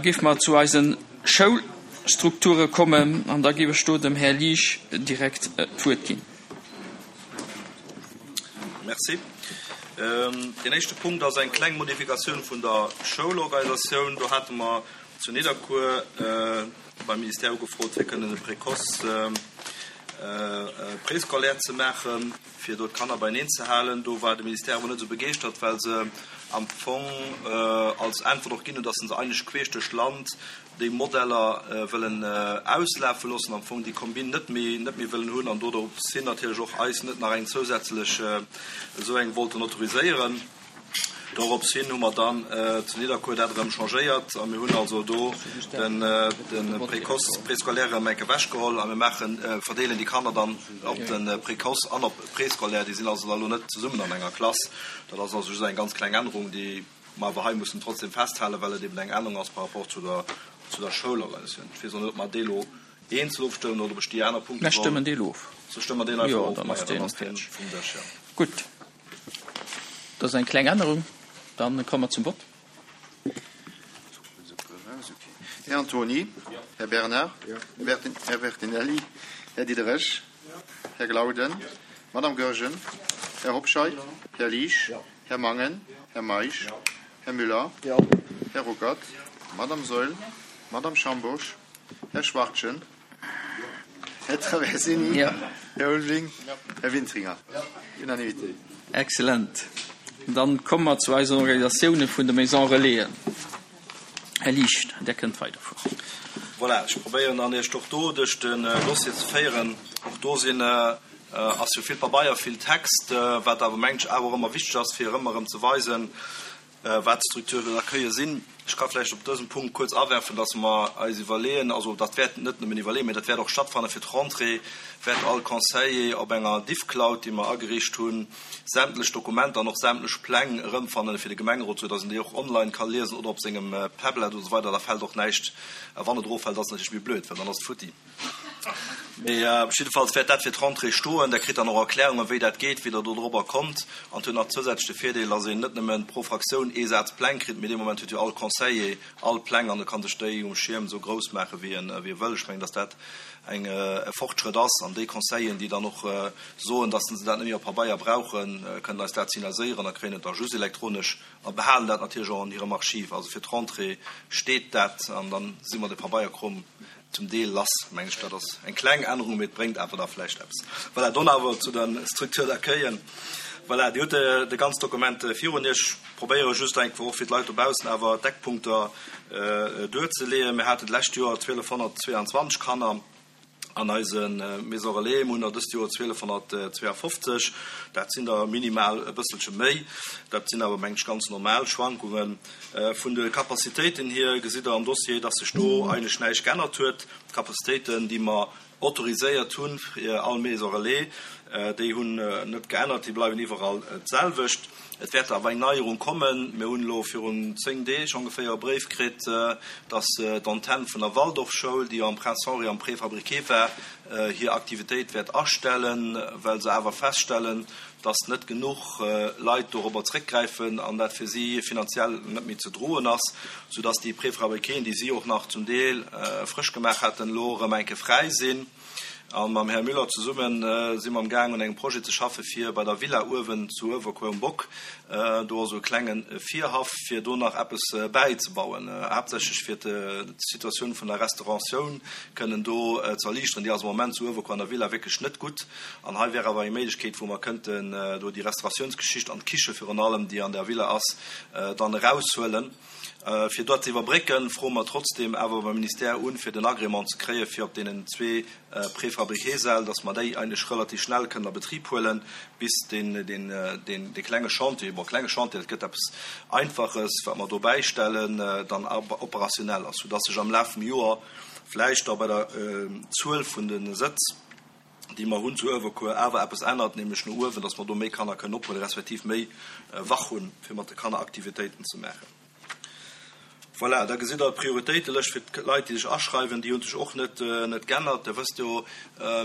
géife mer zu eise Schoulstrukture kommen an da géif ech do dem Här Liesch direkt d'Wuert ginn. Merci. Deen éischte Punkt ass eng kleng Modifikatioun vun der Schoulorganisatioun. Do hate mer zu Nidderkuer beim Ministère ugefrot, fir kënnen e Précoce préscolaire ze maachen, fir do d'Kanner beieneen ze halen. Do war de Ministère awer net esou begeeschtert, well se am Fong als Äntwert och ginn hunn, datt se eigentlech queesch duerch d'Land déi Modeller wëllen auslafe loossen, am Fong déi Combine net méi net méi wëllen hunn an dodrops hin natierlech och eis net nach eng zousätzlech esou eng wollten autoriséieren. Dorops hin hu mer dann zu Nidderkuer dat erëm changéiert a mir hunn also do den de Précoce, Préscolaire erëm enk ewechgeholl a mir maachen, verdeelen déi Kanner dann op de Précoce an op Préscolaire. Déi sinn also da lo net zesummen an enger Klass. Dat ass also just eng ganz kleng Ännerung, déi mer awer hei mussen trotzdem festhalen, well et eben eng Ännerung ass par rapport zu der, zu der Schoulorganisatioun. Ech weess och net, ob mer dee lo eenzel ofstëmmen oder ob ech déi aner Punkte Mir soll. stëmmen dee lo of. Sou stëmme mer deen einfach Jo, of. dann ass Maja, dann deen ass deen fäerdeg. vum Dësch, jo. Gutt. Dat ass eng kleng Ännerung. Dann komme mer zum Vott. Här Antony, Här Bernard, Här Bertinelli, Här Diderich, Här Glauden, Madame Goergen, Här Hobscheit, Här Liesch, Här Mangen, Här Meisch, Här Müller, Här Ruckert, Madame Saeul, Madame Schambourg, Här Schwachtgen, Här Traversini, Här Ulveling, Här Wintringer. Unanimité. Excellent. Dann komme mer zu eisen Organisatiounen vun de Maisons Relaisen. Här Liesch, Der kënnt weiderfueren. Voilà, ech probéieren dann Iech och do duerch den Dossier ze féieren. Och do sinn, ass jo vill Pabeier, vill Text, wat awer mengen ech awer och ëmmer wichteg ass, fir ëmmer erëm ze weisen, wat d'Structures d'accueil sinn. Ech ka vläicht op dësem Punkt kuerz awerfen, dass mer eis iwwerleeën, also dat wäert net nëmmen iwwerleeën, mä dat wäert och stattfanne fir d'Rentrée, wäert all Conseiller op enger Diffcloud, déi mer ageriicht hunn, sämtlech Dokumenter an och sämtlech Pläng erëmfannen fir de Gemengerot, sou dass en déi och online ka liesen oder op sengem Tablet oder esou weider. Da fält och näischt. A wann et eroffält, ass et natierlech méi blöd, well dann ass et futti. Mee jiddefalls wäert dat fir d'Rentrée stoen. Der kritt dann och Erklärungen, wéi dat geet, wéi Der do dorobber kommt. An et huet nach zousätzlech de Virdeel, dass een net nëmme pro Fraktioun ee Saz Pläng kritt, mee dee Moment huet jo all Conseiller all Pläng an e ka sech déi um Schierm esou grouss maachen, wéi e wëll. Ech mengen, dass dat eng e Fortschrëtt ass. An déi Conseilleren, déi dann och soen, dass se dat net méi op Pabeier brauchen, kënnen eis dat signaliséieren a kréien et da just elektronesch a behalen dat natierlech och an hirem Archiv. Also fir d'Rentrée steet dat an da si mer de Pabeierkrom zum Deel lass, mengen ech. Dat ass eng kleng Ännerung, mee et bréngt awer da vläicht eppes. Voilà, dann awer zu de Structures d'accueillen. Voilà, Dir hutt de ganz Dokument virun Iech. Ech probéiere just eng Kéier och fir d'Leit dobaussen awer d'Eckpunkter duerzeleeën. Mir haten d'lescht Joer 1.222 Kanner an eise Maisons relais. Mir hunn der dëst Joer 1.252. Dat sinn der minimal e bësselche méi. Dat sinn awer, mengen ech, ganz normal Schwankungen. Vun de Capacitéiten hier gesitt Der am Dossier, dass sech do eigentlech näischt geännert huet. D'Capacitéiten, déi mer autoriséiert hu fir all Maison relais, déi hunn net geännert, déi bleiwen iwwerall d'selwecht. Et wäert awer eng Neierung kommen. Mir hunn elo virun 10 Deeg ongeféier e Bréif kritt, dass d'Antenn vun der Waldorfschoul, déi jo am Prince Henri am Préfabriqué war, hir Aktivitéit wäert astellen, well se awer feststellen, dass net genuch Leit dorobber zréckgräifen an dat fir si finanziell net méi ze droen ass, soudass déi Préfabriquéen, déi si och nach zum Deel frësch gemaach haten, elo erëm eng Kéier fräi sinn. A mam Här Müller zesumme si mer amgaang un engem Projet ze schaffe fir bei der Villa uewen zu Uewerkuer um Bock, do ass esou e klenge Virhaff, fir do nach eppes bäizebauen, haaptsächlech fir d'Situatioun vun der Restauratioun kënnen do ze erliichteren. Déi ass am Moment zu Uewerkuer an der Villa wierklech net gutt. An hei wär awer eng Méiglechkeet, wou mer kënnten do déi Restauratiounsgeschicht an d'Kiche virun allem, déi an der Villa ass, dann eraushuelen. Fir dat ze iwwerbrécken, froe mer trotzdeem awer beim Ministère un, fir den Agrément ze kréien, fir op deenen zwee Préfabriqué-Säll, dass mer déi eigentlech relativ schnell kënnen a Betrib huelen, bis deen, deen, deen, dee klenge Chantier, bon, klenge Chantier, dat gëtt eppes Einfaches, wat mer do bäistellen, dann operationell ass, soudass sech am Laf vum Joer vläicht da bei der Zuel vun de Sëtz, déi mer hunn zu Uewerkuer, awer eppes ännert, nämlech no uewen, dass mer do méi Kanner kënnen ophuelen, respektiv méi Wach hunn, fir mat de Kanner Aktivitéiten ze maachen. Voilà, da gesitt Der d'Prioritéitelëscht fir d'Leit, déi sech aschreiwen. Déi hu sech och net net geännert. Der wësst jo,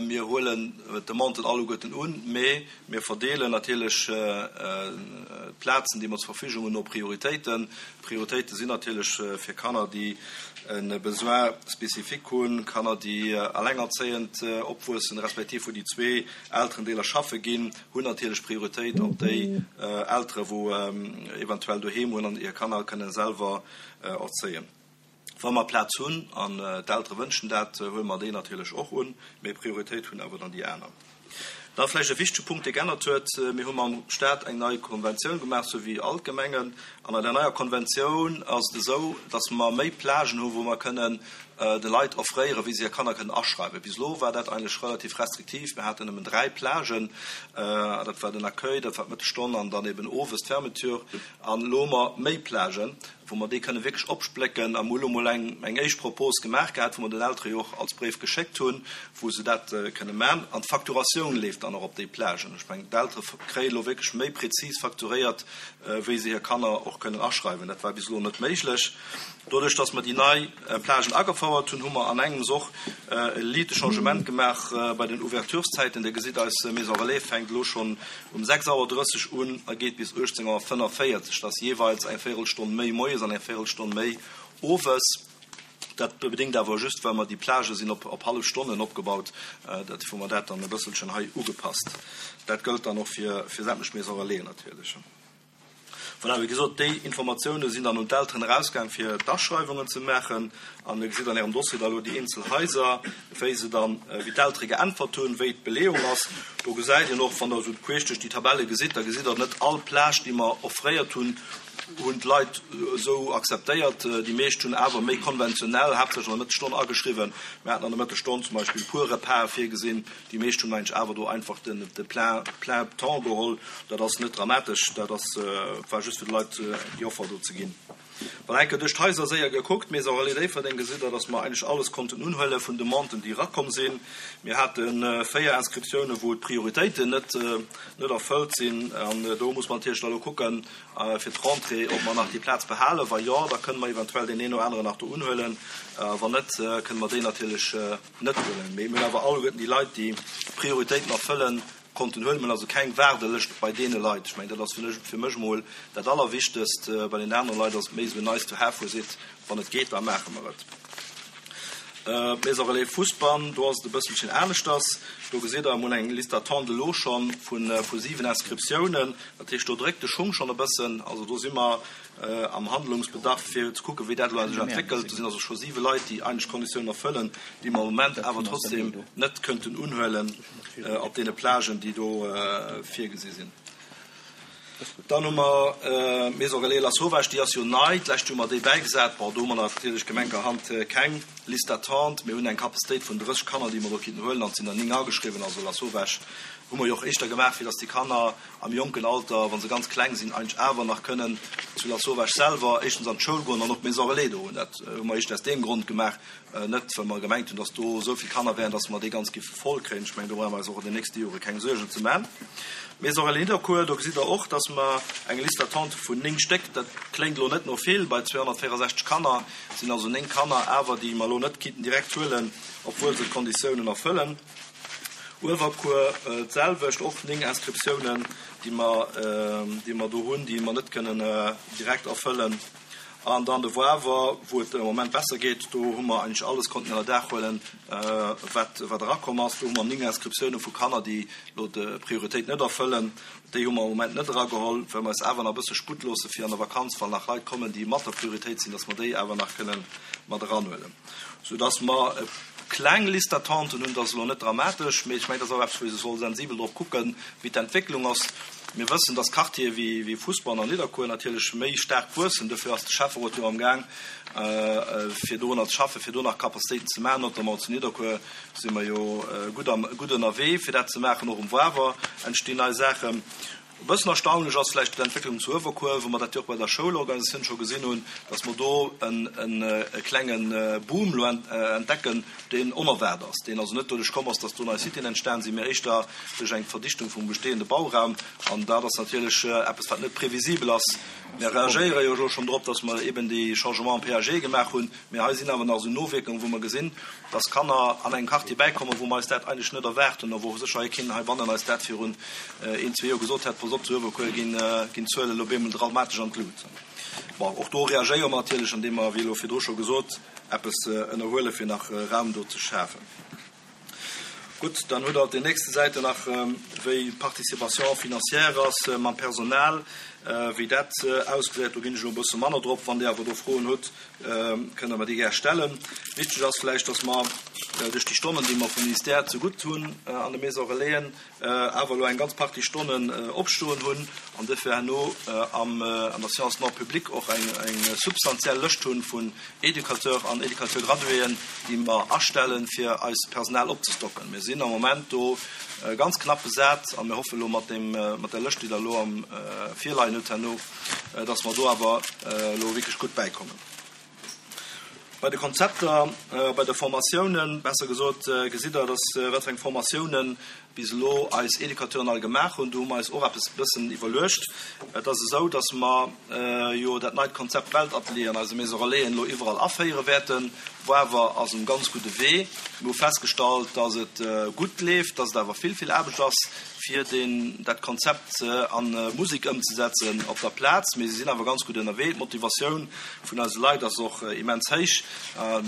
mir huelen d'Demanden alleguerten un, mee mir verdeelen natierlech d'Plazen, déi mer zur Verfügung hunn, no Prioritéiten. D'Prioritéite sinn natierlech fir Kanner, déi e Besoin spécifique hunn, Kanner, déi alengerzéiend opwuessen, respektiv wou déi zwee Elterendeeler schaffe ginn, hunn natierlech Prioritéit op déi Eltere wou eventuell doheem hunn an hir Kanner kënne selwer erzéien. Wa mer Plaz hunn an d'Eltere wënschen dat, huele mer déi natierlech och un, mee Prioritéit hunn awer dann déi aner. Da vläicht e wichtege Punkt, dee geännert huet, Mir hu mam Stat eng nei Konventioun gemaach, sou wéi all d'Gemengen. An an där neier Konventioun ass et esou, dass mer méi Plagen hu wou mer kënnen de Leit offréieren, wéi se hir Kanner kënnen aschreiwen. Bis elo war dat eigentlech relativ restriktiv. Mir haten nëmmen 3 Plagen, dat war den Accueil, dat war d'Mëttesstonn an dann eben owes d'Fermeture. An elo hu mer méi Plagen, wou mer déi kënnen wierklech opsplécken. A mir hu elo mol eng eng éischt Propos gemaach gehat, wou mer den Eltere jo och als Bréif geschéckt hunn, wou se dat kënne man. An d'Facturatioun leeft dann och op déi Plagen. Ech mengen, d'Eltere kréie elo wierklech méi prezis facturéiert, wéi se hir Kanner och kënnen aschreiwen. Dat war bis elo net méiglech. Doduerch, dass mer déi nei Plagen agefouert hunn, hu mer an engems och e liite Changement gemaach bei den Ouvertureszäiten. Dir gesitt, eis Maison Relais fänkt elo schonn um 6 Auer 30 un a geet bis 18 Auer 45. Dat ass jeeweils eng Véirelstonn méi moies an eng Véirelstonn méi owes. Dat bedéngt awer just, well mer déi Plagë sinn op hallef Stonnen opgebaut, dat hu mer dat dann e bësselchen hei ugepasst. Dat gëllt dann och fir sämtlech Maison Relaisen natierlech. Voilà, wéi gesot, déi Informatioune sinn dann un d'Elteren erausgaang, fir d'Aschreiwungen ze maachen. An Dir gesitt an Ärem Dossier da elo déi eenzel Haiser, wéi se dann, wéi d'Eltere geäntwert hunn, wéi d'Beleeung ass. Do gesäit een och, wann Der esou queesch duerch déi Tabelle gesitt, da gesitt Der, net all Plage, déi mer offréiert hunn, hunn d'Leit esou akzeptéiert. Déi meescht hunn awer méi konventionell, haaptsächlech an der Mëttesstonn ageschriwwen. Mir haten an der Mëttesstonn zum Beispill puer Repase virgesinn. Déi meescht hunn eigentlech awer do einfach den de plein plein temps geholl. Dat ass net dramatesch, dat ass war just fir de Leit déi Offer do ze ginn. Wann eng Kéier duerch d'Haiser séier gekuckt, Maison Relais Déifferdeng, gesitt Der, dass mer eigentlech alles konnten unhuele vun Demanden, déi erakomm sinn. Mir hate 4 Inscriptiounen, wou d'Prioritéiten net net erfëllt sinn. An do muss mer natierlech da elo kucken fir d'Rentrée, ob mer nach déi Plaz behalen. Wa jo, da kënne mer eventuell deen een oder aneren nach do unhuelen. Wann net, kënne mer déi natierlech net huelen. Mee mir hunn awer alleguerten déi Leit, déi d'Prioritéiten erfëllen, konnten huelen. Mir hunn also keng Waardelëscht bei deene Leit. Ech mengen, dat ass fir mech emol dat Allerwichtegst. Bei den anere Leit ass et méi esou en nice to have, wou ee seet, wann et geet, da maache mer et. D'Maison Relais Fousbann, do ass et e bësselchen aneschters. Do gesitt Der emol eng Liste d'attente elo scho vu 7 Inscriptiounen. Dat heescht, do dréckt de Schung schonn e bëssen. Also do si mer am Handlungsbedarf, fir ze kucken, wéi dat elo sech entwéckelt. Do sinn also scho siwe Leit, déi eigentlech d'Konditiounen erfëllen, déi mer am Moment awer trotzdeem net kënnten unhuelen op deene Plagen, déi do virgesi sinn. Dann hu mer d'Maison Relais Lasauvage, déi ass jo nei, d'lescht Joer hu mer déi bäigesat. Bon, do hu mer natierlech gemenkerhand keng Liste d'attente. Mir hunn eng Capacitéit vun 30 Kanner, déi mer do kinnten huelen, an et sinn der 9 ageschriwwen. Also Lasauvage hu mer jo och éischter gemaach, fir datt déi Kanner am jonken Alter, wa se ganz kleng sinn, eigentlech awer nach kënnen zu Lasauvage selwer éischtens an d'Schoul goen an och d'Maison Relais do hunn. Dat hu mer éischter aus deem Grond gemaach, net well mer gemengt hunn, dass do esou vill Kanner wären, dass mer déi ganz géife voll kréien. Ech mengen, do brauche mer eis och an den nächste Jore keng Suergen ze man. D'Maison Relais Nidderkuer, do gesitt Der och, dass mer eng Liste d'attente vun 9 Stéck, dat kléngt elo net no vill bei 264 Kanner, sinn also 9 Kanner awer, déi mer elo net kinnten direkt huelen, obwuel se d'Konditiounen erfëllen. Uewerkuer d'selwecht, och 9 Inscriptiounen, déi mer, déi mer do hunn, déi mer net kënnen direkt erfëllen. An dann de Wawer, wou et am Moment besser geet, do hu mer eigentlech alles konnten ënner Daach huelen, wat, wat erakomm ass. Do hu mer 9 Inscriptiounen vu Kanner, déi elo d'Prioritéit net erfëllen. Déi hu mer am Moment net erageholl, well mer eis awer nach e bësse Sputt loosse fir an der Vakanz, wann nach Leit kommen, déi mat der Prioritéit sinn, dass mer déi awer nach kënnen mat eranhuelen. Soudass mer e kleng Liste d'attenten hunn. Dat ass elo net dramatesch, mee ech mengen, dat ass och eppes, wou ee soll sensibel drop kucken, wéi d'Entwécklung ass. Mir wëssen, dass Quartiere wéi Fousbann an Nidderkuer natierlech méi staark wuessen. Dofir ass de Schäfferot jo amgaang, fir dorunner ze schaffen, fir do nach Capacitéiten ze maachen. Notamment zu Nidderkuer si mer jo gutt ënnerwee, fir dat ze maachen. Och um Wawer entstinn nei Saachen. E bëssen erstaunlech ass vläicht d'Entwécklung zu Uewerkuer, wou mer dat jo och bei der Schoulorganisatioun scho gesinn hunn, dass mer do e klenge Boom elo entdecken, deen onerwaart ass, deen also net doduerch komm ass, dass do nei Citéen entstan sinn, mä éischter duerch eng Verdichtung vum bestehende Bauraum. An dat ass natierlech eppes, wat net previsibel ass. Mir reagéiere jo elo schonn drop, dass mer eben déi Changements am PAG gemaach hunn, mä hei sinn awer nach esou Nowierkungen, wou mer gesinn, dass Kanner an engem Quartier bäikommen, wou mer eis dat eigentlech net erwaart hunn a wou sécher hei keen heibannen eis dat virun een, zwee Joer gesot hätt, Pass op, zu Uewerkuer ginn d'Zuelen elo op eemol dramatesch an d'Lut. Bon, och do reagéiere mer natierlech, andeem mer, wéi elo virdru scho gesot, eppes ënnerhuelen, fir nach Raum do ze schafen. Gutt, dann hutt Der op den nächste Säiten nach, wéi d'Participation financière ass mam Personal, wéi dat ausgesäit. Do ginn ech elo e bësse manner drop. Wann Dir awer do Froen hutt, kënnt Der mer déi gär stellen. Wichteg ass vläicht, dass mer duerch déi Stonnen, déi mer vum Ministère zegutt hunn an de Maisons Relaisen, awer elo eng ganz Partie Stonnen opstoen hunn an duerfir herno an der Science non publique och eng substantiell Lëscht hunn vun Éducateurs an Éducateur-graduéen, déi mer astellen, fir eist Personal opzestocken. Mir sinn am Moment do ganz knapp besat a mir hoffen elo mat deem, mat där Lëscht, déi Der elo am virleien hutt herno, dass mer do awer elo wierklech gutt bäikommen. Bei de Konzepter, bei de Formatiounen, besser gesot, gesitt Der, dass wat fir eng Formatiounen bis elo eis Educateuren all gemaach hunn. Do hu mer eis och eppes e bëssen iwwerluecht. Et ass esou, dass mer jo dat neit Konzept Weltatelier an eise Maison Relaisen elo iwwerall aféiere wäerten. Woawer ass um ganz gudde Wee. Mir hu festgestallt, dass et gutt leeft, dass et awer vill, vill Aarbecht ass, fir deen, dat Konzept a Musek ëmzesetzen op der Plaz. Mee si sinn awer ganz gutt ënnerwee. D'Motivatioun vun eise Leit ass och immens héich.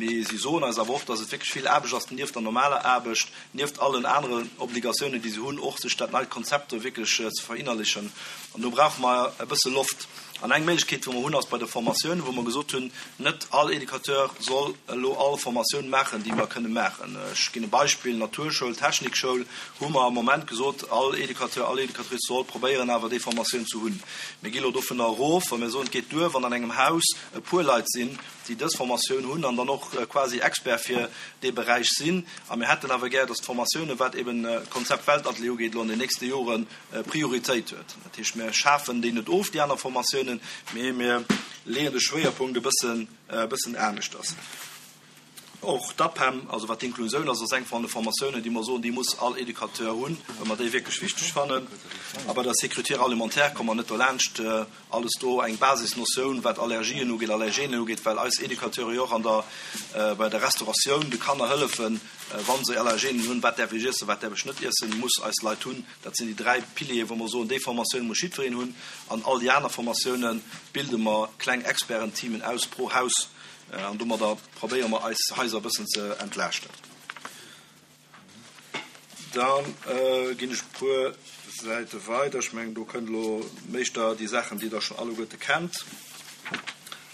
Mee si soen eis awer och, dass et wierklech vill Aarbecht ass, nieft der normaler Aarbecht, nieft allen aneren Obligatiounen, déi se hunn, och sech dat neit Konzept do wierklech ze verinnerlichen. An do brauche mer e bësse Loft. An eng Méiglechkeet, wou mer hunn, ass bei de Formatiounen, wou mer gesot hunn, net all Educateur soll elo all Formatioun maachen, déi mer kënne maachen. Ech ginn e Beispill, Naturschoul, Technikschoul, hu mer am Moment gesot, all Educateur, all Educatrice soll probéieren awer déi Formatioun ze hunn. Mir gi elo dovunner erof, wa mir soen, et geet duer, wann an engem Haus e puer Leit sinn, déi dës Formatioun hunn an dann och quasi Expert fir dee Beräich sinn. A mir hätten awer gär, dass d'Formatiounen, wat eben d'Konzept Weltatelier ugeet, elo an den nächste Joren Prioritéit huet. Dat heescht, mir schafen déi net of, déi aner Formatiounen, mee mir leeën de Schwéierpunkt e bëssen, e bëssen aneschters. Och d'APEM, also wat d'Inklusioun ass, ass eng vun de Formatiounen, déi mer soen, déi muss all Educateur hunn, well mer déi wierklech wichteg fannen. A bei der Sécurité alimentaire komme mer net dolaanscht, alles do eng Basisnotioun, wat Allergien ugeet, Allergenen ugeet, well eis Educateure jo och an der, bei der Restauratioun de Kanner hëllefen, wa se Allergenen hunn, wat däerf ech iessen, wat däerf ech net iessen, muss eis Leit hunn. Dat sinn déi 3 Piliere wou mer soen, déi Formatioun muss jiddwereen hunn. An all déi aner Formatioune bilde mer kleng Expertenteamen aus pro Haus an domadder probéiere mer eis Haiser e bëssen ze entlaaschten. Da ginn ech e puer Säite weider. Ech mengen, do kënnt elo méischter déi Saachen, déi Der schonn alleguerte kennt,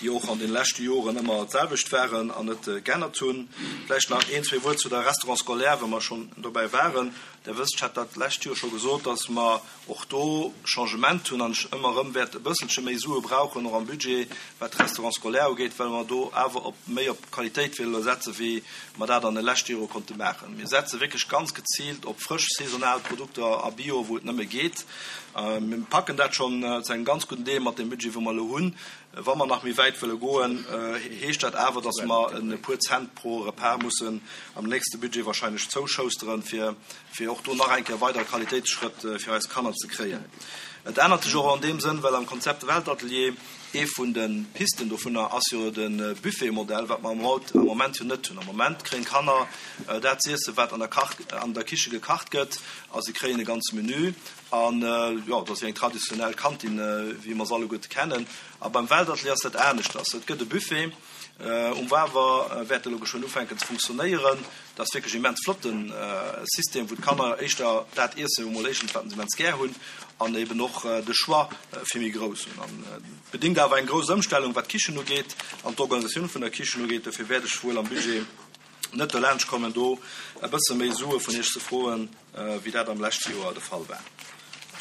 déi och an de leschte Joren ëmmer d'selwecht waren an net geännert hunn. Vläicht nach een, zwee Wuert zu der Restaurant scolaire, wa mer schonn dobäi waren. Der wësst, ech hat dat d'lescht Joer scho gesot, dass mer och do Changement hunn an ech ëmmer erëm wäert e bësselche méi Sue brauchen, och am Budget, wat d'Restaurants scolaires ugeet, well mer do awer op méi op Qualitéit wëlle setzen, wéi mer dat an de leschte Jore konnte maachen. Mir setze wierklech ganz geziilt op frësch, saisonal Produkter a Bio, wou et nëmme geet. Mir packen dat schonn zu engem ganz gudden Deel mat deem Budget, wou mer elo hunn. Wa mer nach méi wäit wëlle goen, heescht dat awer, datt mer e puer Cent pro Repas mussen am nächste Budget wahrscheinlech zouschousteren, fir fir och do nach eng Kéier weider Qualitéitsschrëtt fir eis Kanner ze kréien. Et ännert sech och an deem Sënn, well am Konzept Weltatelier ee vun de Pisten dovunner ass jo de Buffetmodell, wat mer am Moment jo net hunn. Am Moment kréien d'Kanner dat z'iessen, wat an der Kach, an der Kiche gekacht gëtt, a se kréien e ganze Menü. An jo, et ass wéi eng traditionell Kantin, wéi mer se alleguerte kennen. A beim Weltatelier ass dat aneschters. Et gëtt e Buffet um Wawer, wäert elo geschwënn ufänken ze funktionéieren. Dat ass wierklech immens flotte System, wou d'Kanner éischter dat iessen, emol éischtens, wat se immens gär hunn, an eben och de Choix vill méi grouss hunn. An et bedéngt awer eng grouss Ëmstellung, wat d'Kichen ugeet an d'Organisatioun vun der Kichen ugeet. Dofir wäert ech wuel am Budget net dolaanscht kommen, do e bësse méi Sue vun Iech ze froen, wéi dat am leschte Joer de Fall war.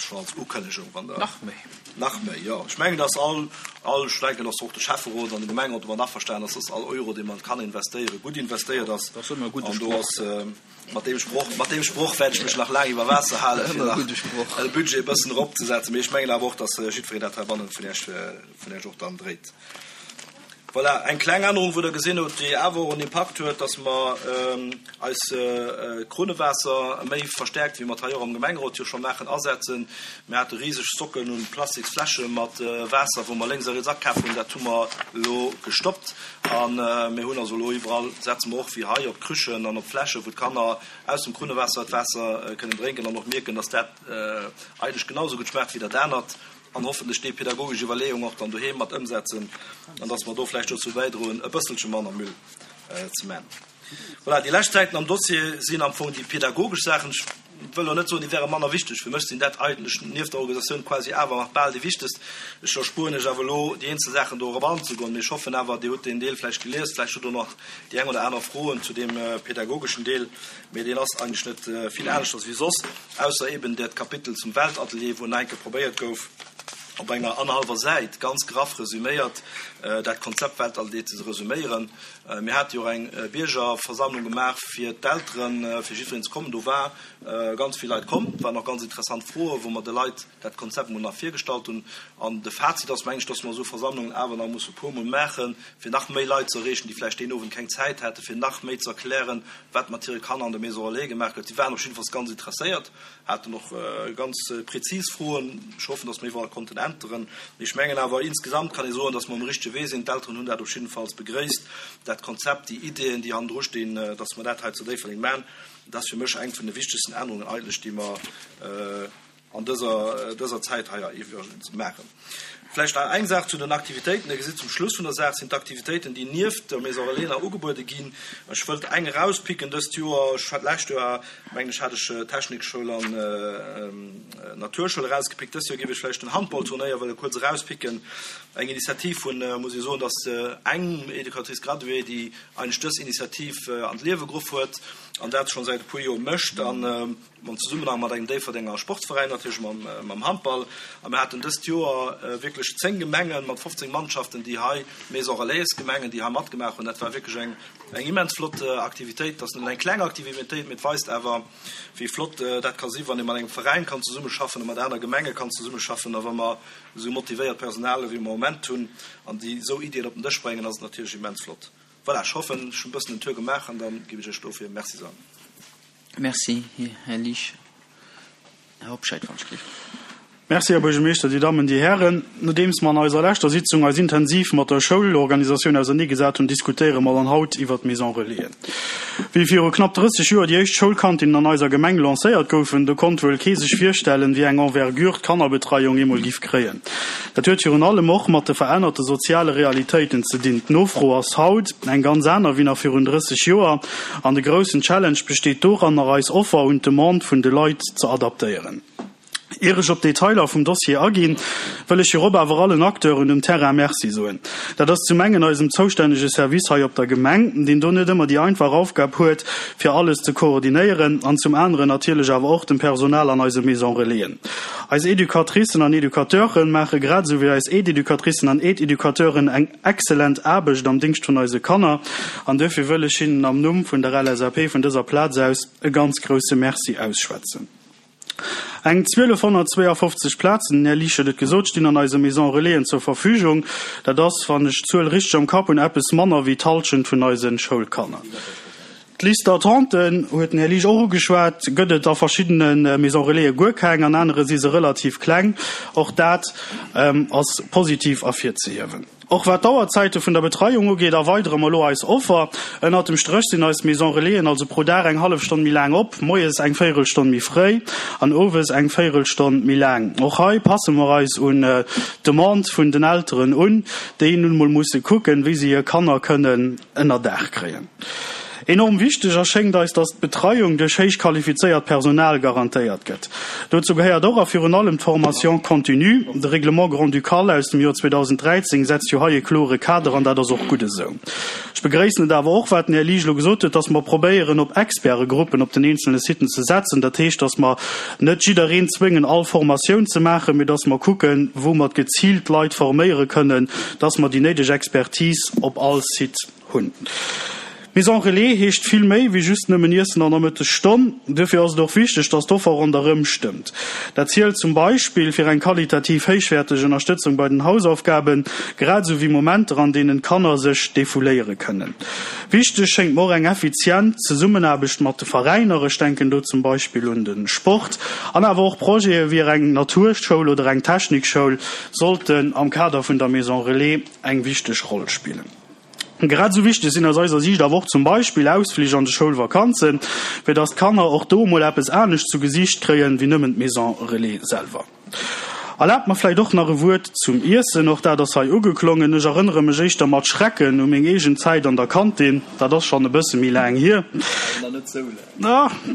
schonn als Ukënnegung, wann Der. Nach méi. Nach méi, jo. Ech mengen, dass all, all, ech denken, dass och de Schäfferot an de Gemengerot domat averstanen ass, dass all Euro, dee man kann investéieren, gutt investéiert ass. Dat ass ëmmer e gudde An do Sproch. ass, mat deem Sproch, mat deem Sproch wäert ech mech nach laang iwwer Waasser halen, fir Ëmmer e nach gudde Sproch. de Budget e bëssen eropzesetzen. Mee ech mengen awer och, dass jiddwereen dat heibannen vun Iech, vun Iech och dann dréit. Voilà, eng kleng Ännerung, wou Der gesinn hutt, déi awer och en Impakt huet, dass mer eis Krunnewaasser méi verstärkt, wéi mer et hei och am Gemengerot jo scho maachen, asetzen. Mir hate riseg Stocken un Plastiksfläsche mat Waasser, wou mer lénks a riets akaf hunn. Dat hu mer elo gestoppt a mir hunn also elo iwwerall, setze mer och wéi hei op Krüchen an op Fläschen, wou d'Kanner aus dem Krunnewaasser d'Waasser kënnen drénken an och mierken, dass dat eigentlech genau esou gutt schmaacht wéi dat anert. an hoffentlech déi pedagogesch Iwwerleeung och dann doheem mat ëmsetzen an dass mer do vläicht dozou bäidroen, e bësselche manner Müll ze man. Voilà, déi lescht Säiten am Dossier sinn am Fong déi pedagogesch Saachen. Ech wëll elo net soen, déi wäre manner wichteg. Fir mech sinn dat eigentlech nieft der Organisatioun quasi awer nach bal déi wichtegst. Ech erspueren lech awer elo, déi eenzel Saachen do erop anzegoen, mee ech hoffen awer, Dir hutt deen Deel vläicht gelies, vläicht hutt Der nach déi eng oder aner Froen zu deem pedagogeschen Deel, mee deen ass eigentlech net vill aneschters wéi soss. Ausser eben dat Kapitel zum Weltatelier, wou nach eng Kéier probéiert gouf, op enger annerhallwer Säit ganz graff resüméiert dat Konzept Weltatelier ze resüméieren. Mir hate jo och eng Biergerversammlung gemaach fir d'Elteren, fir jiddwereen ze kommen. Do war ganz vill Leit komm. Et waren och ganz interessant Froen, wou mer de Leit dat Konzept emol nach virgestallt hunn. An de Fazit ass, meng ech, dass mer esou Versammlungen awer nach musse e puermol maachen, fir nach méi Leit ze erreechen, déi vläicht deen Owend keng Zäit haten, fir nach méi ze erklären, wat mat hire Kanner an der Maison Relais gemaach gëtt. Si waren op jiddefalls ganz interesséiert, haten och ganz prezis Froen. Ech hoffen, dass mer iwwerall konnten äntweren. Mee ech mengen awer, insgesamt kann ee soen, dass mer um richtege Wee sinn. D'Elteren hunn dat op jiddefalls begréisst, dat Konzept, déi Ideeën, déi hannendru stinn, dass mer dat hei zu Déifferdeng maachen. Dat ass fir mech eng vun de wichtegsten Ännerungen eigentlech, déi mer an dëser dëser Zäit hei iwwregens maachen. Vläicht nach eng Saach zu den Aktivitéiten. Dir gesitt, zum Schluss vun der Saach sinn d'Aktivitéiten, déi nieft der Maison Relais nach ugebuede ginn. Ech wëllt eng erauspicken dëst Joer. Ech hat d'lescht Joer, mengen ech, hat ech Technikschoul an Naturschoul erausgepickt. Dëst Joer géif ech vläicht den Handballturnéier wëlle kuerz erauspicken. Eng Initiativ vun, muss ee soen, dass eng Educatrice graduée, déi eigentlech dës Initiativ an d'Liewe geruff huet an dat scho säit e puer Joer mécht. An Am Zesummenhang mat engem Déifferdenger Sportsveräin, natierlech mam Handball. A mir haten dëst Joer wierklech 10 Gemengen mat 15 Mannschaften, déi hei, Maison Relais Gemengen, déi hei matgemaach hunn. Dat war wierklech eng immens flott Aktivitéit. Et ass nëmmen eng kleng Aktivitéit, mee et weist awer, wéi flott dat ka sinn, wann ee mat engem Veräin kann zesummeschaffen a mat aner Gemenge kann zesummeschaffen. A wa mer esou motivéiert Personal ewéi mer am Moment hunn an déi esou Iddien op den Dësch bréngen, ass et natierlech immens flott. Voilà, ech hoffen, ech hunn e bëssen den Tour gemaach an da géif ech Iech dofir Merci soen. Merci, Här Liesch. Här Hobscheit, wann ech géif. Merci, Här Buergermeeschter, Dir Dammen, Dir Hären. Nodeems mer an eiser leschter Sitzung eis intensiv mat der Schoulorganisatioun auserneegesat hunn, diskutéiere mer dann haut iwwert d'Maison Relaisen. Wéi viru knapp 30 Joer déi éischt Schoulkantinnen an eiser Gemeng lancéiert goufen, do konnt wuel kee sech virstellen, wéi eng Envergure d'Kannerbetreiung eemol giff kréien. Dat huet virun allem och mat de verännerte soziale Realitéiten ze dinn. D'Nofro ass haut eng ganz aner wéi nach virun 30 Joer. An de groussen Challenge besteet doranner, eis Offer un d'Demande vun de Leit ze adaptéieren. Ier ech op d'Detailer vum Dossier aginn, wëll ech virop awer allen Acteuren um Terrain Merci soen. Dat ass zum engen eisem zoustännege Service hei op der Gemeng, deen do net ëmmer déi einfach Aufgab huet, fir alles ze koordinéieren, an zum aneren natierlech awer och dem Personal an eise Maison Relaisen. Eis Educatricen an Educateure maache grad esou wéi eis Aide-Educatricen an Aide-Educateuren eng excellent Aarbecht am Dingscht vun eise Kanner an duerfir wëll ech hinnen am Numm vun der LSAP vun dëser Plaz aus e ganz grousse Merci ausschwätzen. Eng 1252 Plazen, den Här Liesch huet et gesot, stinn an eise Maisons Relaisen zur Verfügung. Dat ass, wann ech d'Zuel richteg am Kapp hunn, eppes manner wéi d'Halschent vun eise Schoulkanner. D'Liste d'attente, huet den Här Liesch och ugeschwat, gëtt et a verschiddene Maisons Relaisen guer keng, an anere si se relativ kleng. Och dat ass positiv ervirzehiewen. Och wat d'Auerzäite vun der Betreiung ugeet, erweidere mer elo eis Offer. Ënnert dem Stréch sinn eis Maisons Relaisen also pro Dag eng hallef Stonn méi laang op, moies eng Véierelstonn méi fréi an owes eng Véierelstonn méi laang. Och hei passe mer eis un d'Demande vun den Elteren un, déi nun emol musse kucken, wéi se hir Kanner kënnen ënnerdaach kréien. Enorm wichteg erschéngt eis, dass d'Betreiung duerch héich qualifizéiert Personal garantéiert gëtt. Dozou gehéiert och a virun allem d'Formation continue. De Règlement grand-ducal aus dem Joer 2013 setzt jo hei e klore Kader an dat ass och gutt esou. Ech begréissen et awer och, wat den Här Liesch elo gesot huet, dass mer probéieren, op Expertegruppen op den eenzelne Siten ze setzen. Dat heescht, dass mer net jiddereen zwéngen, all Formatioun ze maachen, mee dass mer kucken, wou mer geziilt Leit forméiere kënnen, dass mer déi néideg Expertise op all Site hunn. Maison Relais heescht vill méi wéi just nëmmen Iessen an der Mëttesstonn. Duerfir ass et och wichteg, dass d'Offer ronderëm stëmmt. Dat zielt zum Beispill fir eng qualitativ héichwäerteg Ënnerstëtzung bei den Hausaufgaben, grad esou wéi Momenter, an deenen d'Kanner sech defouléiere kënnen. Wichteg schéngt mer och eng effizient Zesummenaarbecht mat de Veräiner, ech denken do zum Beispill un de Sport, an awer och Projete wéi eng Naturschoul oder eng Technikschoul sollten am Kader vun der Maison Relais eng wichteg Roll spillen. Grad esou wichteg sinn aus eiser Siicht awer och zum Beispill Ausflich an de Schoulvakanzen, fir dass d'Kanner och do emol eppes anescht zu Gesiicht kréien, wéi nëmmen d'Maison Relais selwer. Erlaabt mer vläicht och nach e Wuert zum Iessen, och dat ass hei ugeklongen. Ech erënnere mech éischter mat Schrecken u meng eegen Zäit an der Kantin, dat ass schonn e bësse méi laang hier.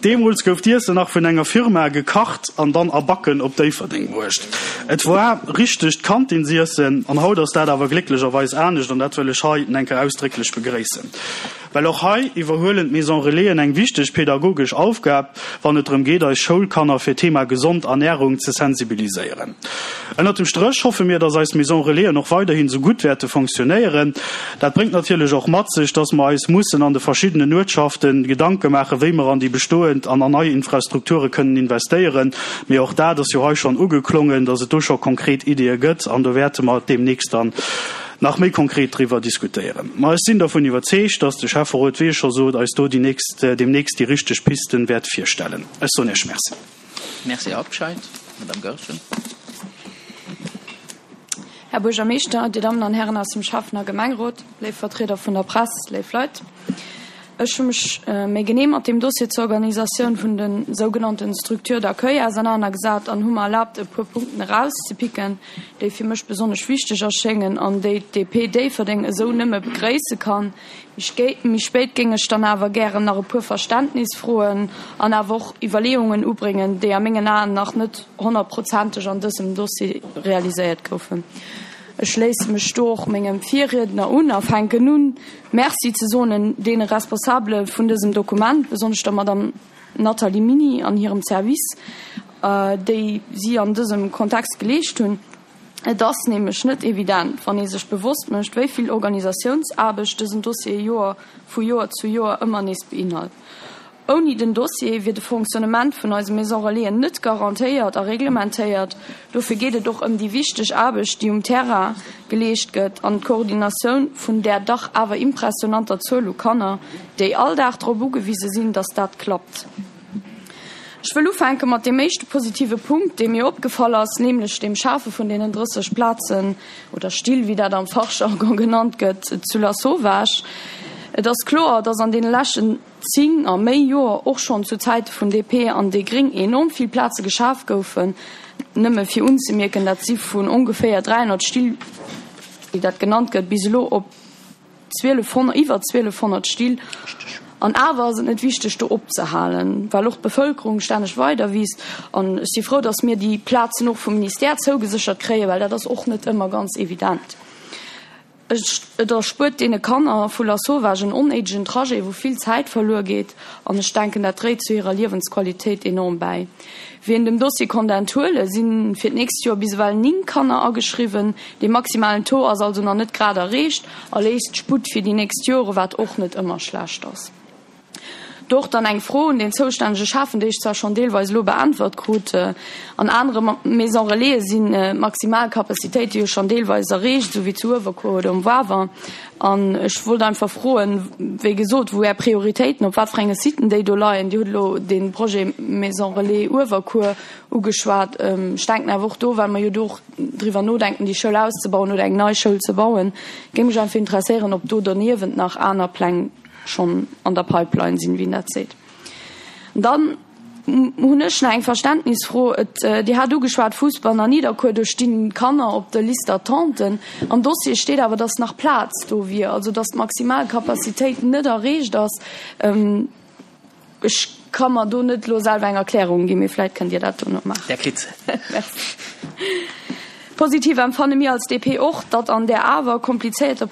Deemools gouf d'Iessen nach vun enger Firma gekacht an dann a Backen op Déifferdeng bruecht. Et war richtegt Kantinsiessen an haut ass dat awer glécklecherweis anescht an dat wëll ech hei en enker ausdrécklech begréissen. Well och hei iwwerhuelen d'Maison Relaisen eng wichteg pedagogesch Aufgab, wann et drëm geet, eis Schoulkanner fir d'Thema gesond Ernärung ze sensibiliséieren. Ënnert dem Stréch hoffe mir, dass eis Maison Relaisen och weiderhin esou gutt wäerte fonctionnéieren. Dat bréngt natierlech och mat sech, dass mer eis mussen an de verschiddenen Uertschaften Gedanke maachen, wéi mer an déi bestoend an an nei Infrastrukture kënnen investéieren. Mee och dat ass jo hei schonn ugeklongen, dass et do scho konkret Ideeë gëtt an do wäerte mer deemnächst dann nach méi konkret driwwer diskutéieren. Ma ech sinn dervun iwwerzeegt, dass de Schäfferot, wéi ech scho sot, eis do déi nächst, deemnächst déi richteg Pisten wäert virstellen. Ech soen Iech Merci. Merci, Här Habscheid. Madame Goergen. Här Buergermeeschter, Dir Dammen an Hären aus dem Schäffen a Gemengerot, léif Vertrieder vun der Press, léif Leit. Ech hu mech méi genee mat deem Dossier zur Organisatioun vun de sougenannten Structures d'accueil ausernanergesat an hu mer erlaabt, e puer Punkten erauszepicken, déi fir mech besonnesch wichteg erschéngen an déi d'DP Déifferdeng esou nëmme begréisse kann. Méi spéit géing ech dann awer gären nach e puer Verständnisfroen an awer och Iwwerleeungen ubréngen, déi a mengen Aen nach net honnertprozenteg an dësem Dossier realiséiert goufen. Ech schléisse mech do och mengem Virriedner un a fänken un, Merci ze soen deene Responsabele vun dësem Dokument, besonnesch der Madame Nathalie Miny an hirem Service, déi si an dësem Kontext geleescht hunn. Et ass nämlech net evident, wann ee sech bewosst mécht, wéi vill Organisatiounsaarbecht dësen Dossier Joer vu Joer zu Joer ëmmer nees beinhalt. Ouni den Dossier wier de Fonctionnement vun eise Maison Relaisen net garantéiert a reglementéiert. Dofir geet et och ëm déi wichteg Aarbecht, déi um Terrain geleescht gëtt an d'Koordinatioun vun där dach awer impressionanter Zuel u Kanner, déi all Dag drop ugewise sinn, dass dat klappt. Ech wëll ufänke mat deem éischte positive Punkt, dee mir opgefall ass, nämlech dem Schafe vun deenen 30 Plazen, oder Still, wéi dat am Fachjargon genannt gëtt, zu Lasauvage. Et ass kloer, dass an deene leschten 10 a méi Joer, och schonn zu Zäite vun DP an déi Gréng, enorm vill Plaze geschaf goufen. Nëmme fir unzemierken, dat si vun ongeféier 300 Still, wéi dat genannt gëtt, bis elo op 1200, iwwer 1200 Still. An awer ass et net wichteg, do opzehalen, well och d'Bevëlkerung stänneg weider wiisst. An ech si frou, datt mir déi Plazen och vum Ministère zougeséchert kréien, well dat ass och net ëmmer ganz evident. Et erspuert deene Kanner vu Lasauvage en onnéidegen Trajet, wou vill Zäit verluer geet. An ech denken, dat dréit zu hirer Liewensqualitéit enorm bäi. Wéi een dem Dossier konnt enthuelen, si fir d'nächst Joer bis ewell 9 Kanner ageschriwwen. Dee maximalen Taux ass also nach net grad erreecht a léisst Sputt fir déi nächst Jore, wat och net ëmmer schlecht ass. Do och dann eng Fro un den zoustännege Schäffen, déi ech zwar schonn deelweis elo beäntwert krut. An anere Maison Relaisen sinn d'maximal Capacitéite jo schonn deelweis erreecht, esou wéi zu Uewerkuer oder um Wawer. An ech wollt einfach froen, wéi gesot, wou Är Prioritéiten, op wat fir enge Siten déi do leien. Dir hutt elo dee Projet Maison Relais Uewerkuer ugeschwat. Ech denken awer och do, well mer jo do och driwwer nodenken, déi Schoul auszebauen oder eng nei Schoul ze bauen, géing mech einfach interesséieren, ob do doniewent nach aner Pläng schonn an der Pipeline sinn, wéi een dat seet. An dann. hunn ech nach eng Verständnisfro. Et, Dir hat ugeschwat, Fussball an Nidderkuer, do stinn Kanner op der Liste d'attente. Am Dossier steet awer, dass nach Plaz do wier, also dass d'Maximalcapacitéit net erreecht ass. Ech ka mer do net elo selwer eng Erklärung ginn, mee vläit kënnt Dir dat dono maachen. Där kritt se. Merci. Positiv empfanne mir als DP och, datt an där awer komplizéierter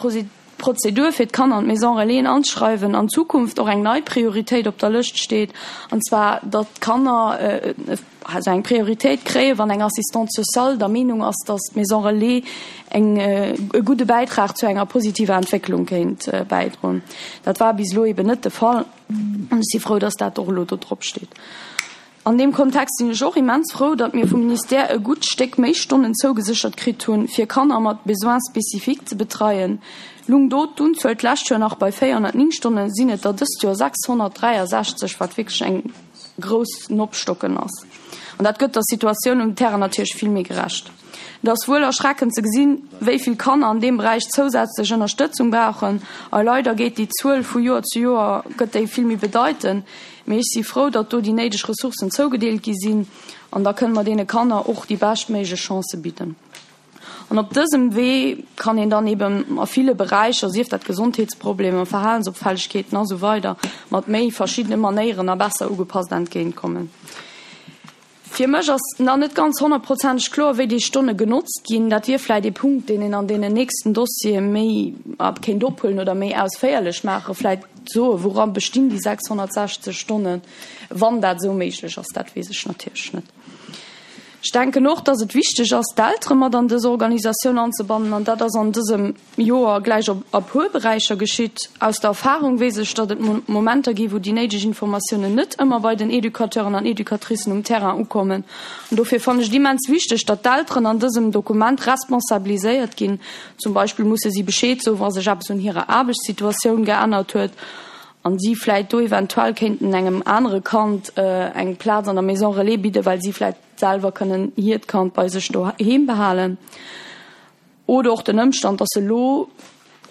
Prozedur fir d'Kanner an d'Maison Relaisen anzeschreiwen an Zukunft och eng nei Prioritéit op der Lëscht steet, an zwar datt d'Kanner also eng Prioritéit kréien, wann eng Assistante sociale der Meenung ass, datt d'Maison Relais eng e gudde Bäitrag zu enger positiver Entwécklung kéint bäidroen. Dat war bis elo eben net de Fall an ech si frou, datt dat och elo do drop steet. An deem Kontext sinn ech och immens frou, datt mir vum Ministère e gutt Stéck méi Stonnen zougeséchert kritt hunn, fir Kanner mat Besoins spécifiques ze betreien. Lung do d'Unzuel d'lescht Joer nach bei 409 Stonnen, sinn et der dëst Joer 663, wat wierklech eng grouss Opstocken ass. An dat gëtt der Situatioun um Terrain natierlech vill méi gerecht. Et ass wuel erschreckend ze gesinn, wéi vill Kanner an deem Beräich zousätzlech Ënnerstëtzung brauchen. A leider geet déi Zuel vu Joer zu Joer gëtt déi vill méi bedeitend. Mee ech si frou, datt do déi néideg Ressourcen zougedeelt gi sinn an da kënne mer deene Kanner och déi beschtméiglech Chancë bidden. An op dësem Wee kann een dann eben a ville Beräicher, sief dat Gesondheetsproblemer, Verhalensopfällegkeeten a sou weider, mat méi verschiddene Manéieren a besser ugepasst entgéintkommen. Fir mech ass nach net ganz honnertprozenteg kloer, wéi déi Stonne genotzt ginn. Dat wier vläicht ee Punkt, deen een an deenen nächsten Dossiere méi kéint ophuelen oder méi ausféierlech maachen, vläicht soen, woura bestinn déi 660 Stonnen, wann dat esou méiglech ass. Dat weess ech natierlech net. Ech denken och, dass et wichteg ass, d'Eltere mat an dës Organisatioun anzebannen, an dat ass an dësem Joer gläich op a puer Beräicher geschitt. Aus der Erfahrung weess ech, datt et Momenter gi wou déi néideg Informatiounen net ëmmer bei den Educateuren an Educatricen um Terrain ukommen. An dofir fannen ech et immens wichteg, datt d'Elteren an dësem Dokument responsabiliséiert ginn. Zum Beispill musse si Bescheed soen, wa sech eppes un hirer Aarbechtssituatioun geännert huet an si vläit do eventuell kéinten engem anere Kand eng Plaz an der Maison Relais bidden, well si vläit selwer kënnen hiert Kand bei sech doheem behalen. Oder och den Ëmstand, dass elo